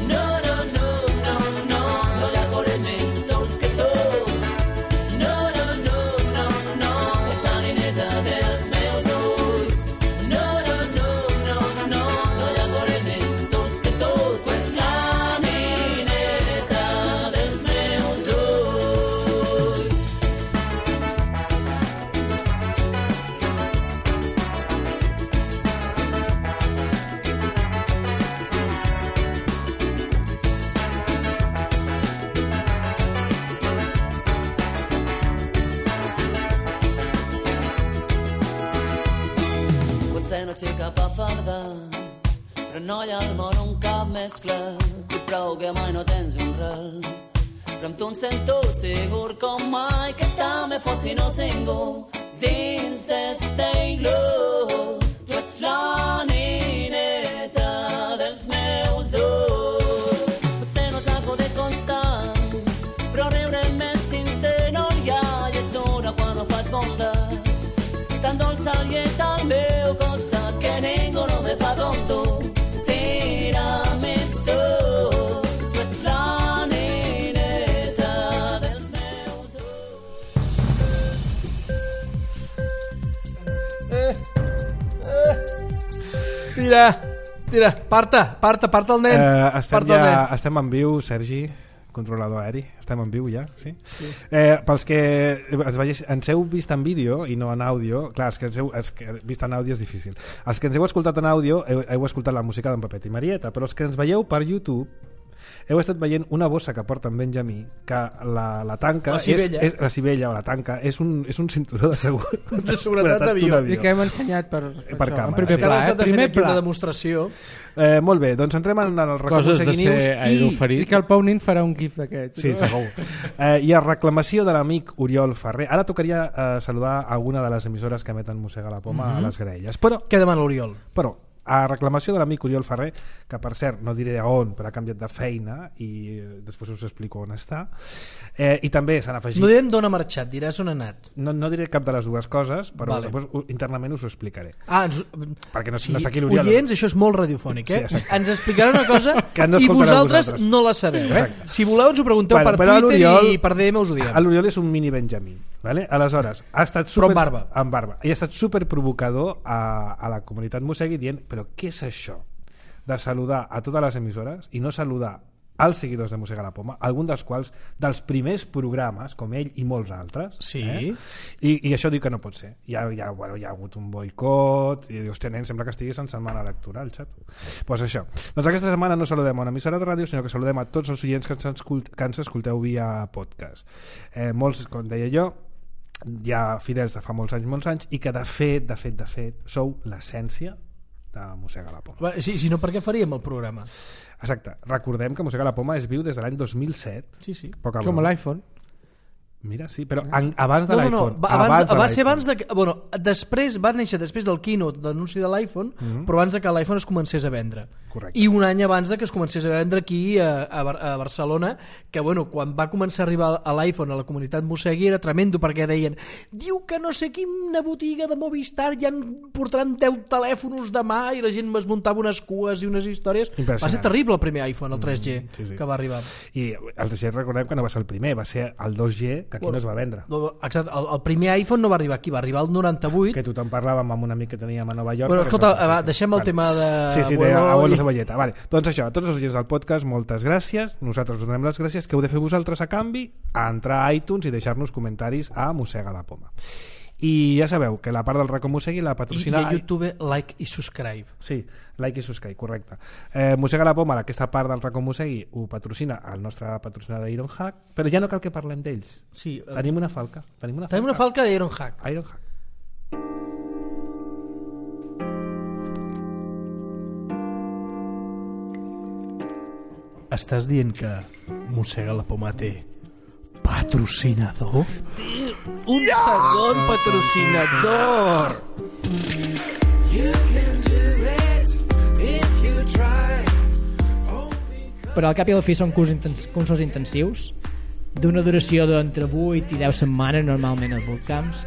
No, no, no, no, no, no hi ha coret més dolç que tu. No, no, no, no, no, és la nineta dels meus ulls. No, no, no, no, no, no hi ha coret més dolç que tu. Tu ets la nineta dels meus ulls. Potser no ets cap a fardar, però no hi ha al món un cap més clar. I prou que mai no tens un ral, però amb tu em sento segur com mai, que també fots si no ets ningú dins d'esteilu. Tu ets la nineta dels meus ulls. Potser no ets algo de constant, però riure més sincer no hi ha, i ets una quan no faig bondat, tan dolça i al meu costat, que ningú no me fa com tu. Tiramisú, tu ets la nineta dels meus ulls. Eh, eh. Tira, tira, parta, parta, parta el nen. Eh, estem, parta el ja, nen. estem en viu, Sergi, controlador aeri. Estem en viu ja, sí? Sí. Eh, pels que ens, veies, ens heu vist en vídeo i no en àudio, clar, els que ens heu els que vist en àudio és difícil. Els que ens heu escoltat en àudio heu, heu escoltat la música d'en Pepet i Marieta, però els que ens veieu per YouTube heu estat veient una bossa que porta en Benjamí, que la, la tanca la civella. és, és, la civella o la tanca és un, és un cinturó de, segur, de seguretat d'avió, i que hem ensenyat per, per, per això, càmera, en primer sí. pla, eh? primer pla. Una demostració. Eh, molt bé, doncs entrem en el Coses de ser aeroferit. I que el Pau Nin farà un gif d'aquests. Sí, no? segur. Eh, I a reclamació de l'amic Oriol Ferrer, ara tocaria eh, saludar alguna de les emissores que emeten Mossega la Poma mm-hmm. a les graelles. Però, què demana l'Oriol? Però, a reclamació de l'amic Oriol Ferrer, que per cert no diré on, però ha canviat de feina i després us explico on està, eh, i també s'han afegit... No direm d'on ha marxat, diràs on ha anat. No, no diré cap de les dues coses, però vale. després internament us ho explicaré. Ah, ens... perquè no, sí, no està aquí l'Oriol. Oients, això és molt radiofònic, eh? Sí, ens explicarà una cosa no i vosaltres, vosaltres no la sabeu, eh? Exacte. Si voleu ens ho pregunteu bueno, per Twitter i per D M us ho diem. L'Oriol és un mini Benjamí, vale? Aleshores ha estat super, però amb barba. amb barba i ha estat super provocador a, a la comunitat Mossegui dient, però què és això de saludar a totes les emissores i no saludar als seguidors de Mossega la Poma, algun dels quals dels primers programes, com ell i molts altres, sí. eh? I, i això diu que no pot ser. Hi ha, hi ha, bueno, hi ha hagut un boicot i dius, hòstia, nen, sembla que estiguis en setmana electoral, xato. Pues això. Doncs aquesta setmana no saludem a una emissora de ràdio, sinó que saludem a tots els oients que ens, escolt, que ens escolteu via podcast. Eh, molts, com deia jo, hi ha fidels de fa molts anys, molts anys, i que de fet, de fet, de fet, sou l'essència de Mossega la Poma. Si, si no, per què faríem el programa? Exacte. Recordem que Mossega la Poma és viu des de l'any dos mil set. Sí, sí. Poca Com l'iPhone. Mira, sí, però en, abans de no, no, l'iPhone. No, abans, abans va ser abans de... Bueno, després va néixer després del keynote d'anunci de l'iPhone, mm-hmm. però abans de que l'iPhone es comencés a vendre. Correcte. I un any abans de que es comencés a vendre aquí a, a, a Barcelona, que bueno, quan va començar a arribar a l'iPhone a la comunitat Mossegui era tremendo, perquè deien diu que no sé quina botiga de Movistar ja en portaran deu telèfons demà, i la gent es muntava unes cues i unes històries. Va ser terrible el primer iPhone, el tres G, mm, sí, sí. que va arribar. I el tres G recordem que no va ser el primer, va ser el dos G, que aquí bueno, no es va vendre. Exacte, el, el primer iPhone no va arribar aquí, va arribar el noranta-vuit. Que tothom parlàvem amb un amic que teníem a Nova York. Bueno, escolta, va, deixem el vale. tema de... Sí, sí, de abuelo cebolleta. Vale. Doncs això, a tots els oients del podcast, moltes gràcies. Nosaltres us donem les gràcies. Què heu de fer vosaltres a canvi? A entrar a iTunes i deixar-nos comentaris a Mossega la Poma. I ja sabeu que la part del Racó Mossegui la patrocina... I a YouTube, like i subscribe. Sí, like i subscribe, correcte. Eh, Mossega la Poma, aquesta part del Racó Mossegui, ho patrocina el nostre patrocinador Ironhack, però ja no cal que parlem d'ells. Sí, uh... Tenim una falca. Tenim una falca, Tenim una falca d'Ironhack. Ironhack. Estàs dient que Mossega la Poma té patrocinador? Un yeah! segon patrocinador! Però al cap i a la fi són cursos intensius d'una duració d'entre vuit i deu setmanes normalment als bootcamps,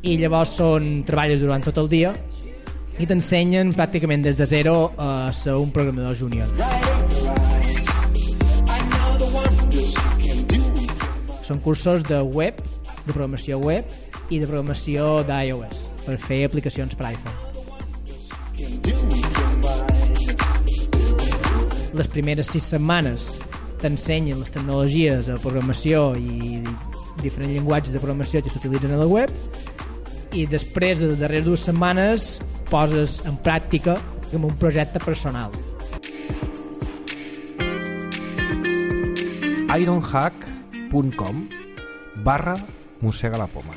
i llavors són treballes durant tot el dia i t'ensenyen pràcticament des de zero a ser un programador júnior. Són cursos de web, de programació web i de programació d'iOS per fer aplicacions per iPhone. Les primeres sis setmanes t'ensenyen les tecnologies de programació i diferents llenguatges de programació que s'utilitzen a la web, i després de les darreres dues setmanes poses en pràctica com un projecte personal. Ironhack punt com barra Mossega la Poma.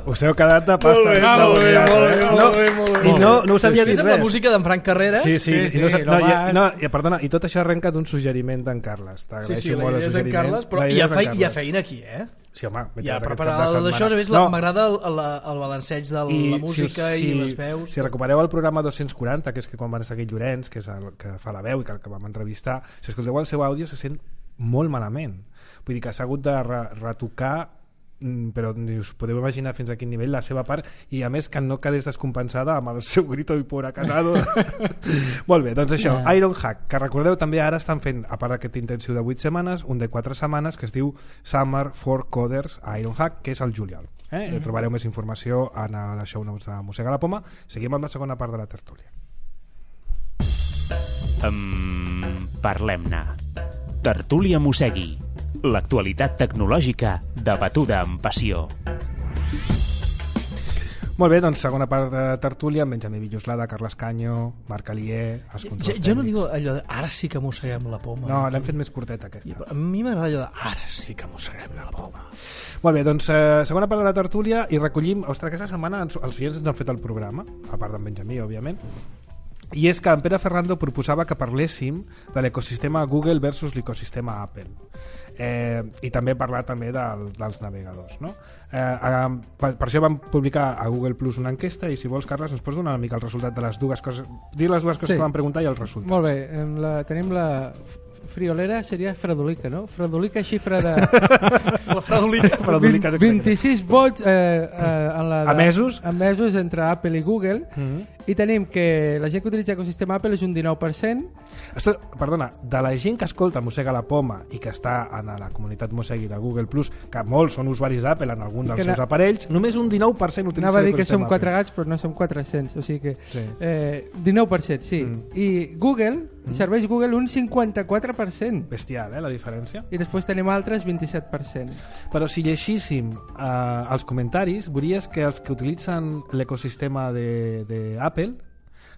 Us heu quedat de pasta. Molt bé, molt bé, molt bé, molt bé, molt bé. I no, no us havia dit res. És la música d'en Frank Carreras. Sí, sí, sí, i, no, sí, no, i, no, i, perdona, i tot això arrenca d'un suggeriment d'en Carles. Sí, sí, la idea és d'en Carles, però hi ha, fe, hi ha feina aquí, eh? Sí, home, ja, preparar d'això, a més, no. m'agrada el, el, el balanceig de I la música si, si, i les veus. Si recupereu el programa dos-cents quaranta, que és que quan van estar aquí Llorenç, que és el que fa la veu i que el que vam entrevistar, si escolteu el seu àudio se sent molt malament. Vull dir que s'ha hagut de re retocar, però ni us podeu imaginar fins a quin nivell la seva part, i a més que no quedés descompensada amb el seu grito i por acanado. Molt bé, doncs això, yeah. Ironhack, que recordeu també ara estan fent, a part d'aquest intensiu de vuit setmanes, un de quatre setmanes que es diu Summer for Coders a Ironhack, que és el juliol. Eh? Mm -hmm. Trobareu més informació en el show notes de Mossega la Poma. Seguim amb la segona part de la tertúlia. Um, Parlem-ne. Tertúlia Mossegui. L'actualitat tecnològica debatuda amb passió. Molt bé, doncs segona part de tertúlia amb Benjamí Villoslada, Carles Canyo, Marc Alier, els controls jo, tècnics. Jo no digo allò de ara sí que mosseguem la poma. No, l'hem fet més curteta aquesta. A mi m'agrada allò de ara sí que mosseguem la poma. Molt bé, doncs eh, segona part de la tertúlia i recollim, ostres, aquesta setmana els oients ens han fet el programa, a part d'en Benjamí, òbviament, i és que en Pere Ferrando proposava que parléssim de l'ecosistema Google versus l'ecosistema Apple. Eh, i també parlar també del, dels navegadors, no? Eh, eh, per, per això vam publicar a Google Plus una enquesta, i si vols, Carles, ens pots donar una mica el resultat de les dues coses, dir les dues coses sí. que vam preguntar i els resultats. Molt bé, la, tenim la friolera, seria Fredolica, no? Fredolica, xifra de... la Fredolica. Fredolica vint-i-sis vots eh, eh, en la de, emesos? emesos entre Apple i Google, mm-hmm. i tenim que la gent que utilitza l'ecosistema Apple és un dinou per cent. Esto, perdona, de la gent que escolta Mossega la Poma i que està en la comunitat Mossegui de Google Plus, que molts són usuaris d'Apple en algun dels seus aparells, només un dinou per cent utilitza l'ecosistema Apple. Anava a dir que som Apple. quatre gats, però no som quatre-cents, o sigui que sí. eh, dinou per cent, sí. Mm. I Google, mm. serveix Google un cinquanta-quatre per cent. Bestial, eh, la diferència. I després tenim altres vint-i-set per cent. Però si llegíssim eh, els comentaris, veuries que els que utilitzen l'ecosistema d'Apple,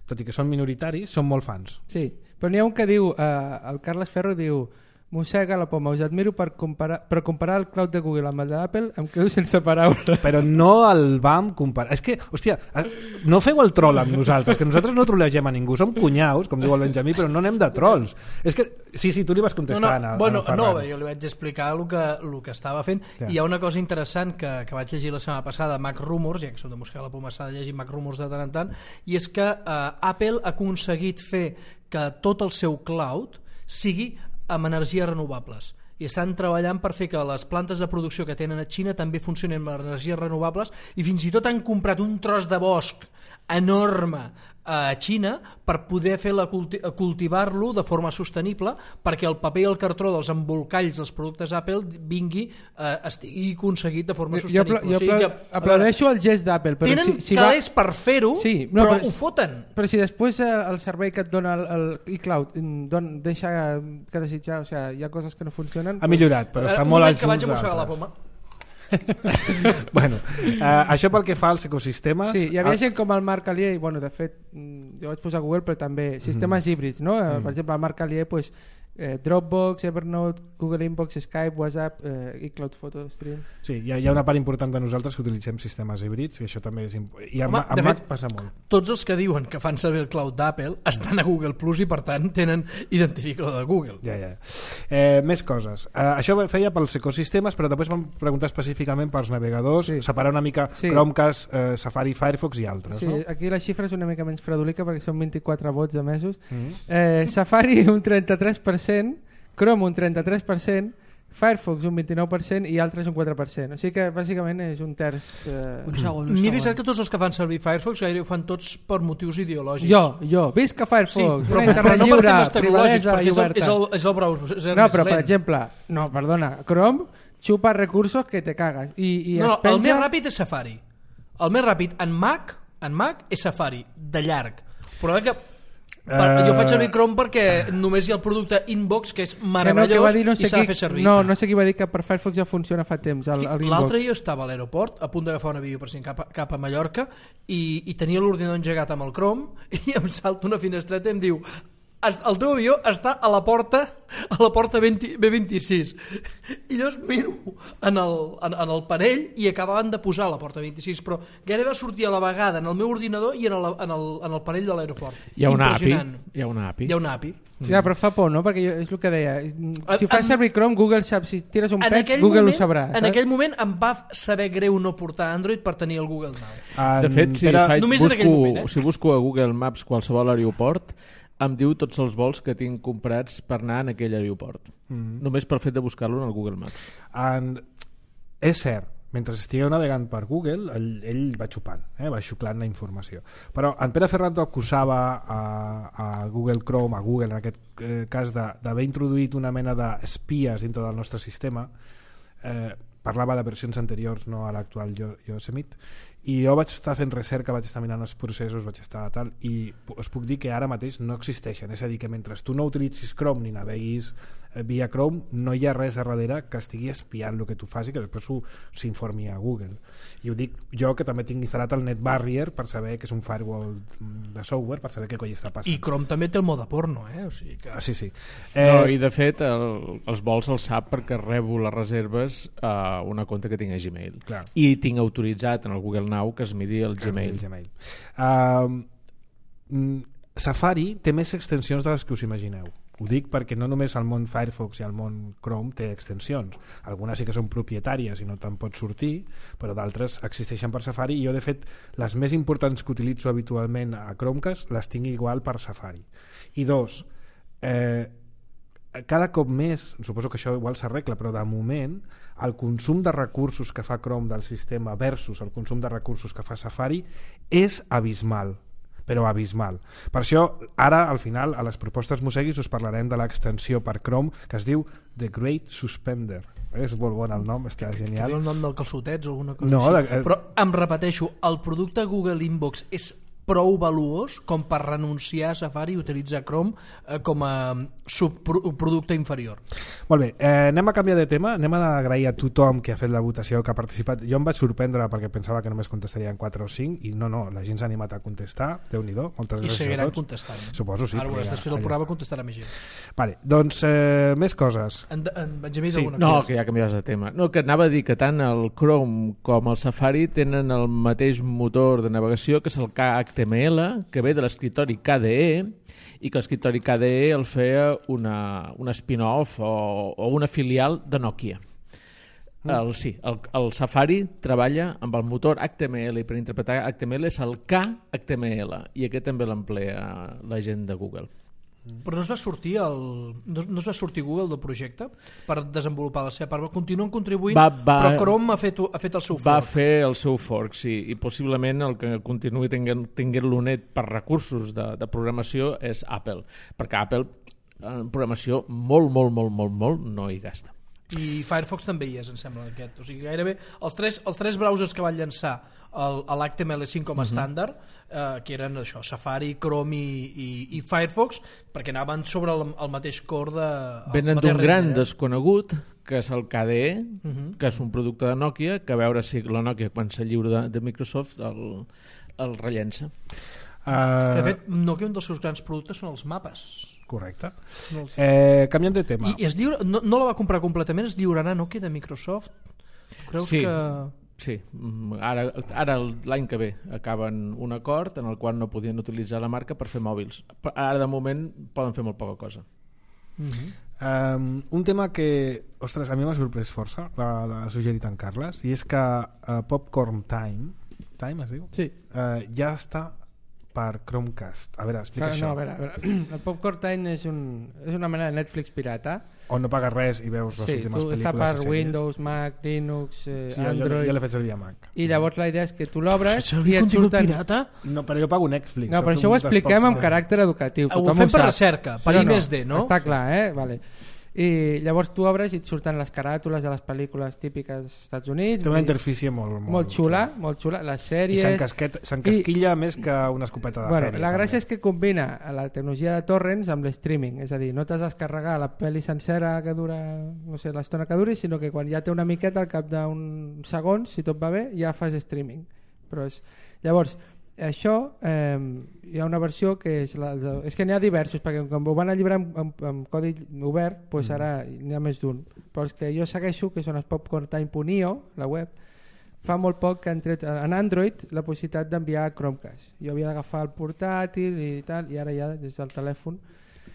tot i que són minoritaris, són molt fans. Sí, però n'hi ha un que diu, eh, el Carles Ferro diu, Mossega la poma, us admiro per comparar, per comparar el cloud de Google amb el d'Apple, em quedo sense paraules. Però no el vam comparar. És que, hòstia, no feu el troll amb nosaltres, que nosaltres no trollegem a ningú, som cunyaus, com diu el Benjamí, però no anem de trolls. És que, sí, sí, tu li vas contestar no, no, a, bueno, a no, jo li vaig explicar el que, el que estava fent. Ja. Hi ha una cosa interessant que, que vaig llegir la setmana passada a Mac Rumors, ja que som de Mosquera la Poma, s'ha de llegir Mac Rumors de tant en tant, i és que eh, Apple ha aconseguit fer que tot el seu cloud sigui amb energies renovables, i estan treballant per fer que les plantes de producció que tenen a Xina també funcionin amb energies renovables, i fins i tot han comprat un tros de bosc enorme a Xina per poder fer la culti cultivar-lo de forma sostenible, perquè el paper i el cartró dels embolcalls dels productes Apple vingui, eh, estigui aconseguit de forma sostenible. Jo, jo, jo o sigui que, aplaudeixo el gest d'Apple, però tenen si, si calés va... per fer-ho, sí, no, però, però ho foten. Però si després eh, el servei que et dona el, el iCloud don, deixa que desitjar, o sigui, hi ha coses que no funcionen... Ha millorat, però està eh, molt als que vaig a mossegar la poma. bueno, uh, això pel que fa als ecosistemes... Sí, hi havia gent com el Marc Alier, bueno, de fet, jo vaig posar a Google, però també sistemes mm. híbrids, no? Mm. Per exemple, el Marc Alier, pues, eh, Dropbox, Evernote, Google Inbox, Skype, WhatsApp, eh, iCloud Photo Stream... Sí, hi ha, hi ha una part important de nosaltres que utilitzem sistemes híbrids, i això també és important. I amb, amb Mac passa molt. Tots els que diuen que fan servir el cloud d'Apple estan a Google Plus i per tant tenen identificador de Google. Ja, ja. Eh, més coses. Eh, això feia pels ecosistemes, però després vam preguntar específicament pels navegadors, sí. separar una mica sí. Chromecast, eh, Safari, Firefox i altres. Sí, no? Aquí la xifra és una mica menys fredolica perquè són vint-i-quatre vots emesos. Mm-hmm. eh, Safari un trenta-tres per cent, Chrome un trenta-tres per cent, Firefox un vint-i-nou per cent i altres un quatre per cent. O sigui que bàsicament és un terç... Eh... Un segon, un M'he fixat que tots els que fan servir Firefox gairebé ho fan tots per motius ideològics. Jo, jo, visca Firefox, sí, però, una però no lliure, per temes tecnològics, perquè és el, oberta. és el, és el browser. És el no, però lent. per exemple, no, perdona, Chrome xupa recursos que te cagan. I, i no, penja... el més ràpid és Safari. El més ràpid en Mac, en Mac és Safari, de llarg. Però que Per, uh, jo faig servir Chrome perquè només hi ha el producte Inbox, que és meravellós, que no, que no sé i s'ha de fer servir. No, no sé qui va dir que per Firefox ja funciona fa temps el, el L'altre dia estava a l'aeroport a punt d'agafar un avió per si cap, cap a Mallorca i, i tenia l'ordinador engegat amb el Chrome i em salta una finestreta i em diu: el teu avió està a la porta a la porta B vint-i-sis. I llavors miro en el, en, en el panell i acabaven de posar la porta vint-i-sis, però gairebé va sortir a la vegada en el meu ordinador i en el, en el, en el panell de l'aeroport. Hi ha una A P I. Hi ha una A P I. Hi ha una A P I. Sí, mm. però fa por, no? Perquè jo, és el que deia. Si fas servir Chrome, Google sap. Si tires un pet, Google moment, ho sabrà. En aquell moment em va saber greu no portar Android per tenir el Google Now. En, de fet, si, era, faig, busco, moment, eh? si busco a Google Maps qualsevol aeroport, em diu tots els vols que tinc comprats per anar en aquell aeroport. Mm. Només pel fet de buscar-lo en el Google Maps. En... És cert, mentre estigueu navegant per Google, ell, ell va xupant, eh? va xuclant la informació. Però en Pere Ferrando acusava a, a Google Chrome, a Google en aquest eh, cas, d'haver introduït una mena d'espies dintre del nostre sistema. Eh, parlava de versions anteriors, no a l'actual Yosemite, i jo vaig estar fent recerca, vaig estar mirant els processos, vaig estar tal, i us puc dir que ara mateix no existeixen, és a dir, que mentre tu no utilitzis Chrome ni naveguis via Chrome, no hi ha res a darrere que estigui espiant el que tu fas i que després s'informi a Google. I ho dic jo, que també tinc instal·lat el NetBarrier per saber que és un firewall de software, per saber què coi està passant. I Chrome també té el mode porno, eh? O sigui que... Ah, sí, sí. Eh... No, i de fet el, els vols els sap perquè rebo les reserves a una compte que tinc a Gmail. Clar. I tinc autoritzat en el Google Now que es miri el Gmail. El Gmail. Uh, Safari té més extensions de les que us imagineu. Ho dic perquè no només el món Firefox i el món Chrome té extensions. Algunes sí que són propietàries i no te'n pots sortir, però d'altres existeixen per Safari, i jo de fet les més importants que utilitzo habitualment a Chromecast les tinc igual per Safari. I dos, eh, cada cop més, suposo que això igual s'arregla, però de moment el consum de recursos que fa Chrome del sistema versus el consum de recursos que fa Safari és abismal, però abismal. Per això ara al final a les propostes Moseguis us parlarem de l'extensió per Chrome que es diu The Great Suspender. És molt bon el nom, està genial. Que té el nom del calçotets o alguna cosa no, així. De... Però em repeteixo, el producte Google Inbox és prou valuós com per renunciar a Safari i utilitzar Chrome eh, com a subproducte inferior. Molt bé, eh, anem a canviar de tema, anem a agrair a tothom que ha fet la votació, que ha participat. Jo em vaig sorprendre perquè pensava que només contestarien quatre o cinc i no, no, la gent s'ha animat a contestar, Déu-n'hi-do, moltes I gràcies a tots. I seguiran contestant. Suposo, sí. Ara veuràs, després del programa contestarà més gent. Vale, doncs eh, més coses. En, en Benjamí, sí. alguna no, cosa? que ja canviaves de tema. No, que anava a dir que tant el Chrome com el Safari tenen el mateix motor de navegació, que és el K H M L, que ve de l'escriptori K D E, i que l'escriptori K D E el feia una, una spin-off o, o una filial de Nokia. El, sí, el, el Safari treballa amb el motor H T M L i per interpretar H T M L és el K H M L i aquest també l'emplea la gent de Google. Però no es va sortir el, no, no es va sortir Google del projecte per desenvolupar la seva part. Continuen contribuint, va, va, però Chrome ha fet, ha fet el seu fork. Va fer el seu fork, sí, i possiblement el que continuï tenint, tenint-lo net per recursos de, de programació és Apple, perquè Apple en programació molt, molt, molt, molt, molt no hi gasta. I Firefox també hi és, em sembla, aquest. O sigui, gairebé els tres, els tres browsers que van llançar l'H T M L cinc com a estàndard, uh-huh. eh, que eren això, Safari, Chrome i, i, i Firefox, perquè anaven sobre el, el mateix core de... Venen d'un gran eh? desconegut, que és el K D E, uh-huh. que és un producte de Nokia, que a veure si la Nokia, quan se lliura de, de Microsoft, el, el rellença. Uh... Que, de fet, Nokia, un dels seus grans productes són els mapes. Correcte. No eh, canviant de tema. I, i es lliura, no, no la va comprar completament, es lliurarà Nokia de Microsoft? Creus sí, que... sí. Ara, ara l'any que ve acaben un acord en el qual no podien utilitzar la marca per fer mòbils. Ara de moment poden fer molt poca cosa. Uh-huh. Um, un tema que, ostres, a mi m'ha sorprès força, l'ha suggerit en Carles, i és que uh, Popcorn Time, Time es diu? Sí. Uh, ja està per Chromecast. A veure, explica no, això. No, a veure, a veure. El Popcorn Time és, un, és una mena de Netflix pirata. On no pagues res i veus les sí, últimes pel·lícules. Sí, està per Windows, Mac, Linux, eh, sí, Android... Jo, jo l'he fet servir a Mac. I llavors la idea és que tu l'obres i et surten... pirata? No, però jo pago Netflix. No, però això ho expliquem amb caràcter educatiu. Ho fem per recerca, per I més D, no? Està clar, eh? Vale. I llavors tu obres i et surten les caràtules de les pel·lícules típiques dels Estats Units. Té una interfície molt, molt, molt xula, molt xula, les sèries... I s'encasquilla més que una escopeta de bueno, fèria. La gràcia també. és que combina la tecnologia de torrents amb l'streaming, és a dir, no t'has de descarregar la pel·li sencera que dura, no sé, l'estona que duri, sinó que quan ja té una miqueta al cap d'uns segons, si tot va bé, ja fas streaming. Però és... Llavors, això eh, hi ha una versió que és, la, és que n'hi ha diversos, perquè com ho van alliberar amb, amb, amb codi obert, doncs ara n'hi ha més d'un, però els que jo segueixo, que són els popcorntime punt i o, la web, fa molt poc que han tret en Android la possibilitat d'enviar Chromecast. Jo havia d'agafar el portàtil i tal, i ara ja des del telèfon.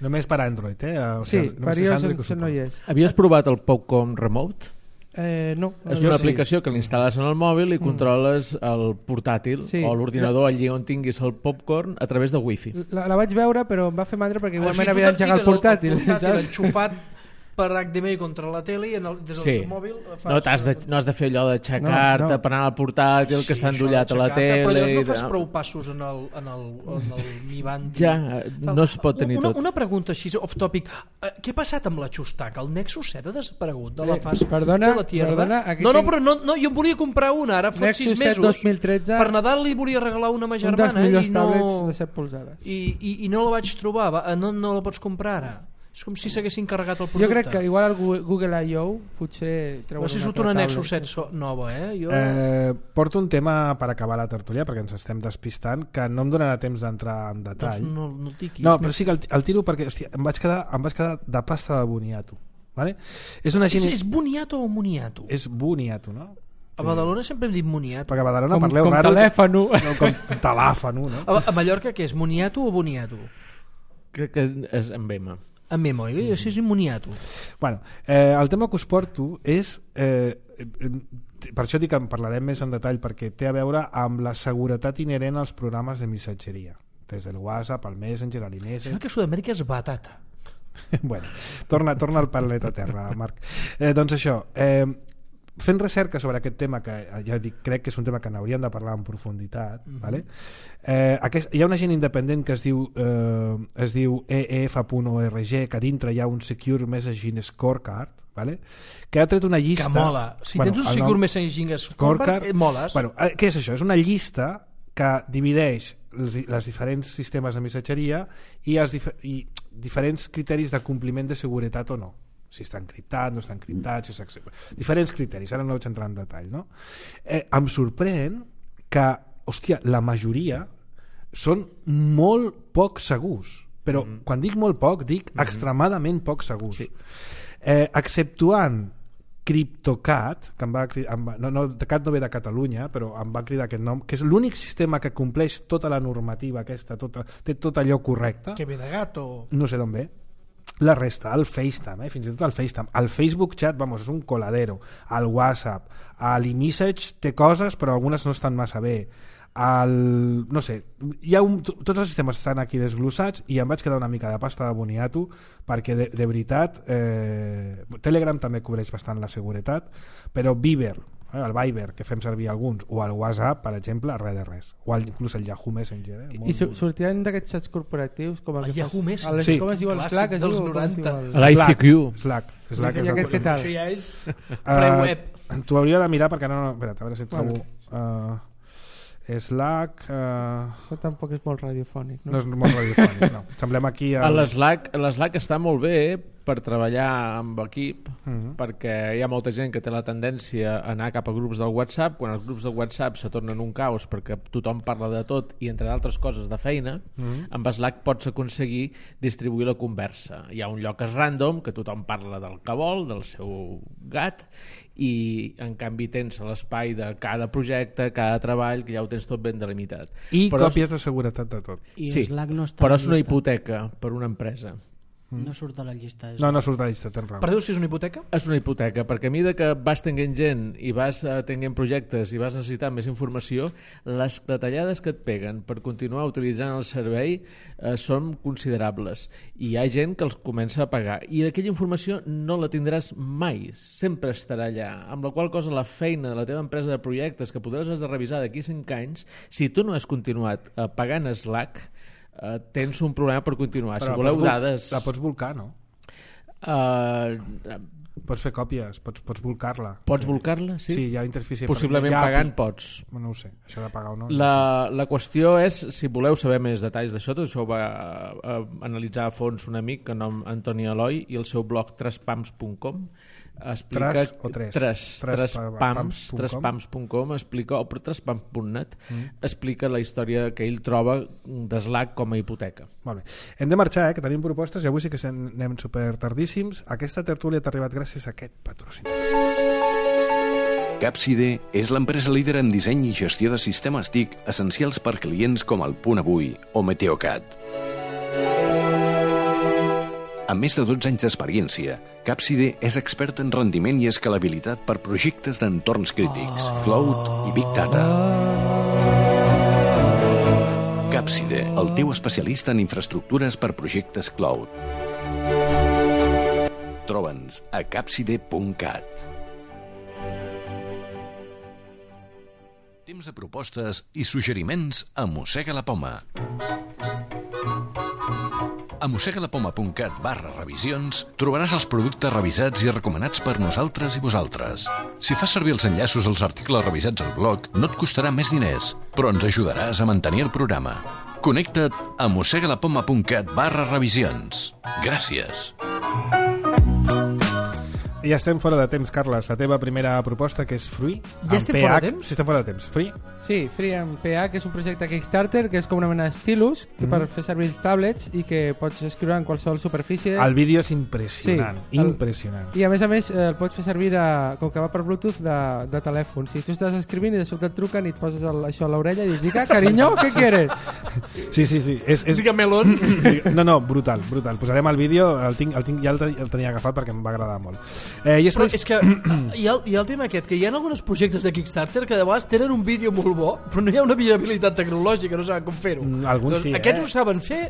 Només per Android, eh? O sigui, sí, per iOS no hi és. Havies provat el Popcorn Remote? Eh, no, és una aplicació sí. que l'instal·les en el mòbil i mm. controles el portàtil sí. o l'ordinador allí on tinguis el popcorn a través de wifi. La, la vaig veure però em va fer mandra perquè igualment havia d'engegar el portàtil. El portàtil enxufat per H D M I contra la tele i en el, des del sí. mòbil fas... No, has de, no has de fer allò d'aixecar-te no, no. per anar al portàtil sí, que està endollat a la tele. Però no fas prou passos en el, en el, en el Mi Band. Ja, no es pot tenir una, tot. Una pregunta així, off topic. Uh, què ha passat amb la Xustaca? El Nexus set ha desaparegut de la fas eh, perdona, de la Tierra? Perdona, no, no, però no, no, jo em volia comprar una ara fa sis mesos. dos mil tretze, per Nadal li volia regalar una a ma germana. Un dels millors i no, tablets de set polzades. I, i, I no la vaig trobar. Va, no, no la pots comprar ara. És com si s'haguessin carregat el producte. Jo crec que igual el Google I O potser treuen no sé si una, una Nexus set so nova, eh? Jo... eh? Porto un tema per acabar la tertúlia, perquè ens estem despistant, que no em donarà temps d'entrar en detall. Doncs no, no el diquis. No, però sí que el, el tiro perquè hòstia, em, vaig quedar, em vaig quedar de pasta de boniato. Vale? És, una gent... és, és boniato o moniato? És boniato, no? A Badalona sempre hem dit moniato. Perquè a Badalona com, parleu com raro. Telèfano. No, com telèfano. No? A, a Mallorca què és? Moniato o boniato? Crec que és amb M. Amb M, oi? Mm. Això és moniato. Bueno, eh, el tema que us porto és... Eh, per això dic que en parlarem més en detall, perquè té a veure amb la seguretat inherent als programes de missatgeria. Des del WhatsApp, el Messenger, l'I-Message... Sembla que Sud-amèrica és batata. bueno, torna, torna al planeta Terra, Marc. Eh, doncs això... Eh, fent recerca sobre aquest tema, que ja dic, crec que és un tema que n'hauríem de parlar en profunditat, mm-hmm. vale? eh, aquest, hi ha un agent independent que es diu eh, es diu E F punt org, que dintre hi ha un Secure Messaging Scorecard, vale? Que ha tret una llista... Que mola. Si bueno, tens un Secure nom... Messaging Scorecard, eh, moles. Bueno, eh, què és això? És una llista que divideix les, les diferents sistemes de missatgeria i, els dif i diferents criteris de compliment de seguretat o no. Si està encriptat, no està encriptat, si és... diferents criteris, ara no vaig entrar en detall, no? Eh, em sorprèn que, hòstia, la majoria són molt poc segurs, però mm. quan dic molt poc, dic mm. extremadament poc segurs. Sí. Eh, exceptuant CryptoCat, que em va cridar, em va, no, no, Cat no ve de Catalunya, però em va cridar aquest nom, que és l'únic sistema que compleix tota la normativa aquesta, tota, té tot allò correcte. Que ve de gat o... No sé d'on ve. La resta, el FaceTime, eh? fins i tot el FaceTime, el Facebook Chat, vamos, és un coladero, el WhatsApp, l'eMessage té coses però algunes no estan massa bé, el, no sé, hi ha un, tots els sistemes estan aquí desglossats i em vaig quedar una mica de pasta de boniato perquè de, de veritat eh, Telegram també cobreix bastant la seguretat, però Viber, eh, el Viber que fem servir alguns, o el WhatsApp per exemple, res de res, o el, inclús el Yahoo Messenger, eh? I su sortien d'aquests xats corporatius com el, el Yahoo Messenger, sí. Com es diu el Slack, dels noranta, l'I C Q, Slack, Slack i aquest fetal, això ja és pre-web. Uh, t'ho hauria de mirar perquè no, no espera't, a veure si et trobo uh, Slack... Uh... Això tampoc és molt radiofònic, no? No és molt radiofònic, no. Semblem aquí... El... L'Slack està molt bé per treballar amb equip, uh -huh. perquè hi ha molta gent que té la tendència a anar cap a grups del WhatsApp, quan els grups del WhatsApp se tornen un caos perquè tothom parla de tot i entre d'altres coses de feina, uh -huh. amb Slack pots aconseguir distribuir la conversa. Hi ha un lloc és random, que tothom parla del que vol, del seu gat, i en canvi tens l'espai de cada projecte, cada treball, que ja ho tens tot ben delimitat. I però còpies de seguretat de tot. I sí, Slack no està però és una hipoteca per una empresa. No surt a la llista. No, no surt a la llista, tens raó. Per dir si és una hipoteca? És una hipoteca, perquè a mesura que vas tenint gent i vas uh, tenint projectes i vas necessitant més informació, les clatellades que et peguen per continuar utilitzant el servei uh, són considerables. I hi ha gent que els comença a pagar. I aquella informació no la tindràs mai, sempre estarà allà. Amb la qual cosa la feina de la teva empresa de projectes, que podràs has de revisar d'aquí cinc anys, si tu no has continuat uh, pagant Slack, Uh, tens un problema per continuar. Però si voleu dades... La pots volcar, no? Uh, pots fer còpies, pots, pots volcar-la. Pots volcar-la, sí? Sí, hi ha interfície. Possiblement ja, pagant pots. No ho sé, això de pagar o no. La, no sé. La qüestió és, si voleu saber més detalls d'això, tot això ho va uh, analitzar a fons un amic que nom Antoni Eloi i el seu blog tres pams punt com explica... Tres o tres? Tres, tres pams, tres pams punt com explica, o tres pams punt net mm. explica la història que ell troba de Slack com a hipoteca. Molt bé. Hem de marxar, eh, que tenim propostes i avui sí que anem super tardíssims. Aquesta tertúlia t'ha arribat gràcies a aquest patrocini. Capside és l'empresa líder en disseny i gestió de sistemes T I C essencials per clients com el Punt Avui o Meteocat. Amb més de dotze anys d'experiència, Capside és expert en rendiment i escalabilitat per projectes d'entorns crítics, cloud i big data. Capside, el teu especialista en infraestructures per projectes cloud. Troba'ns a capside punt cat. Temps de propostes i suggeriments a Mossega la Poma. A mossegalapoma punt cat barra revisions trobaràs els productes revisats i recomanats per nosaltres i vosaltres. Si fas servir els enllaços als articles revisats al blog, no et costarà més diners, però ens ajudaràs a mantenir el programa. Connecta't a mossegalapoma punt cat barra revisions. Gràcies. Ja estem fora de temps, Carles. La teva primera proposta, que és Free. Ja estem fora de temps? Sí, estem fora de temps. Free? Sí, Free amb P H, que és un projecte Kickstarter, que és com una mena d'estilus, que mm. per fer servir els tablets i que pots escriure en qualsevol superfície. El vídeo és impressionant, sí, el... impressionant. I a més a més el pots fer servir, de, com que va per Bluetooth, de, de telèfon. Si tu estàs escrivint i de sobte et truquen i et poses el, això a l'orella i dius, dica, cariño, què quieres? Sí, sí, sí. És, és... Diga melón. No, no, brutal, brutal. Posarem el vídeo, el tinc, el tinc, ja el, el tenia agafat perquè em va agradar molt. Eh, i Però és que hi ha, hi ha el tema aquest, que hi ha alguns projectes de Kickstarter que de vegades tenen un vídeo molt bo, però no hi ha una viabilitat tecnològica, no saben com fer-ho. Alguns doncs, sí, aquests eh? ho saben fer.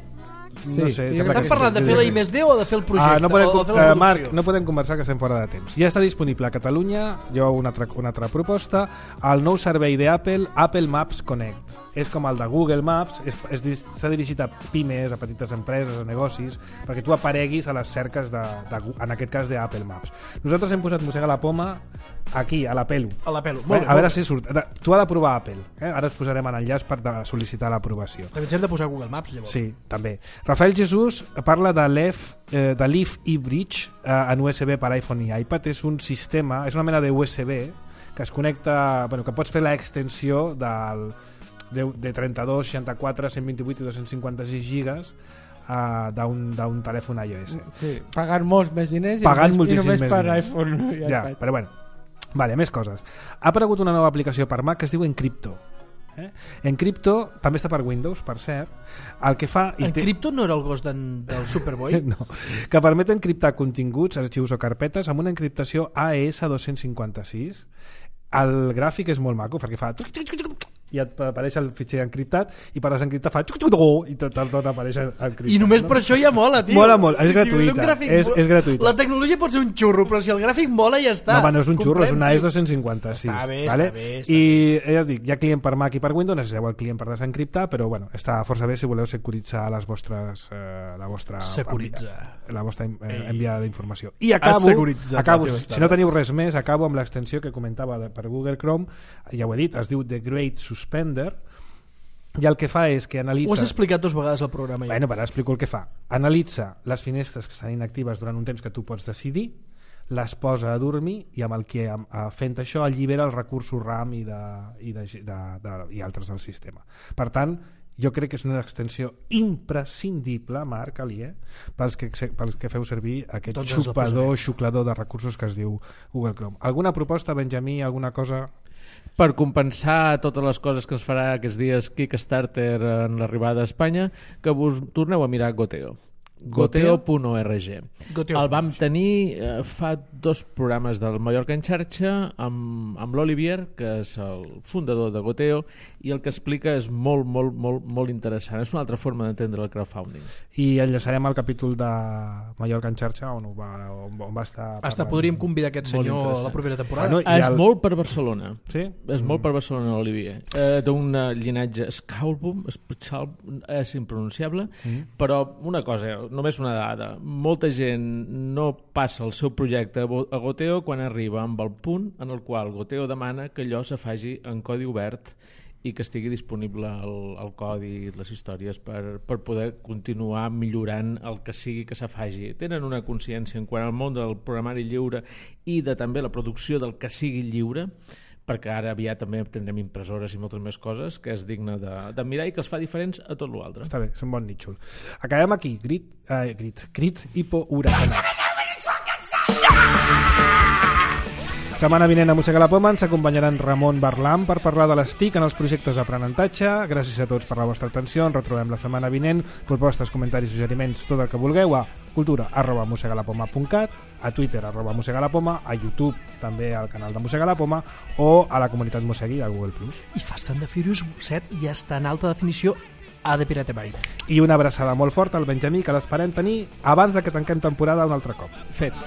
No sí, sé, sí, estan parlant de fer la I més D o de fer el projecte? Ah, no podem, o de fer la uh, Marc, no podem conversar, que estem fora de temps. Ja està disponible a Catalunya, jo una altra, una altra proposta, el nou servei d'Apple, Apple Maps Connect. És com el de Google Maps, s'ha dirigit a pimes, a petites empreses, a negocis, perquè tu apareguis a les cerques, de, de, en aquest cas d'Apple Maps. Nosaltres hem posat Mossega la Poma aquí, a la pelu. A la pelu. Molt bé, a veure si surt. Tu has de provar Apple. Eh? Ara us posarem en enllaç per sol·licitar l'aprovació. També ens hem de posar Google Maps, llavors. Sí, també. Rafael Jesús parla de l'E F, eh, de l'E F eBridge eh, en U S B per iPhone i iPad. És un sistema, és una mena de U S B que es connecta, bueno, que pots fer l'extensió del, de, de trenta-dos, seixanta-quatre, cent vint-i-vuit i dos-cents cinquanta-sis gigas Uh, d'un telèfon iOS. Sí, pagant molts més diners pagant i només, i només per diners. iPhone i ja, iPad. Però bueno, vale, més coses. Ha aparegut una nova aplicació per Mac que es diu Encrypto. Eh? Encrypto també està per Windows, per cert. El que fa... Encrypto no era el gos del Superboy? No, que permet encriptar continguts, arxius o carpetes amb una encriptació A E S dos-cents cinquanta-sis. El gràfic és molt maco perquè fa... i et apareix el fitxer encriptat i per desencriptar fa i tot el tot apareix encriptat. I només per això ja mola, tio. Mola molt, és gratuïta. Si és, és gratuïta. La tecnologia pot ser un xurro, però si el gràfic mola ja està. No, home, no és un xurro, és una A E S dos-cents cinquanta-sis. Està bé, vale? està bé. Està I bé. ja dic, hi ha client per Mac i per Windows, necessiteu el client per desencriptar, però bueno, està força bé si voleu securitzar les vostres, eh, la vostra Securitza. la vostra eh, enviada d'informació. I acabo, acabo si no teniu res més, acabo amb l'extensió que comentava de, per Google Chrome, ja ho he dit, es diu The Great Suspender. I el que fa és que analitza... Ho has explicat dues vegades al programa. Ja. Bueno, però explico el que fa. Analitza les finestres que estan inactives durant un temps que tu pots decidir, les posa a dormir i amb el que fent això allibera els recursos RAM i, de, i, de, de, de, i altres del sistema. Per tant, jo crec que és una extensió imprescindible, Marc Alier, pels que, pels que feu servir aquest Tots xupador, xuclador de recursos que es diu Google Chrome. Alguna proposta, Benjamí, alguna cosa... Per compensar totes les coses que es farà aquests dies Kickstarter en l'arribada a Espanya, que vos torneu a mirar Goteo. Goteo punt org. El vam tenir eh, fa dos programes del Mallorca en xarxa amb, amb l'Olivier, que és el fundador de Goteo, i el que explica és molt, molt, molt, molt interessant. És una altra forma d'entendre el crowdfunding. I enllaçarem al capítol de Mallorca en xarxa on, va, on va estar... Hasta podríem convidar aquest senyor a la propera temporada. Bueno, és el... molt per Barcelona. Sí? És mm. molt per Barcelona, l'Olivier. Eh, d'un llinatge Scalbum, és impronunciable, mm. però una cosa... Només una dada. Molta gent no passa el seu projecte a Goteo quan arriba amb el punt en el qual Goteo demana que allò se faci en codi obert i que estigui disponible el, el codi i les històries per, per poder continuar millorant el que sigui que se faci. Tenen una consciència en quant al món del programari lliure i de també la producció del que sigui lliure, perquè ara aviat també tindrem impressores i moltes més coses, que és digne de, de mirar i que els fa diferents a tot l'altre. Està bé, és un bon nítxol. Acabem aquí. Grit, eh, grit, crit, hipo, huracanat. Setmana vinent a Mossega la Poma ens acompanyaran Ramon Barlam per parlar de les T I C en els projectes d'aprenentatge. Gràcies a tots per la vostra atenció. Ens retrobem la setmana vinent. Propostes, comentaris, suggeriments, tot el que vulgueu a cultura arroba mossegalapoma punt cat, a Twitter arroba mossegalapoma, a YouTube també al canal de Mossega la Poma o a la comunitat Mossegui a Google plus. I Fast and the Furious set ja està en alta definició a The Pirate Bay. I una abraçada molt forta al Benjamí, que l'esperem tenir abans de que tanquem temporada un altre cop. Fet.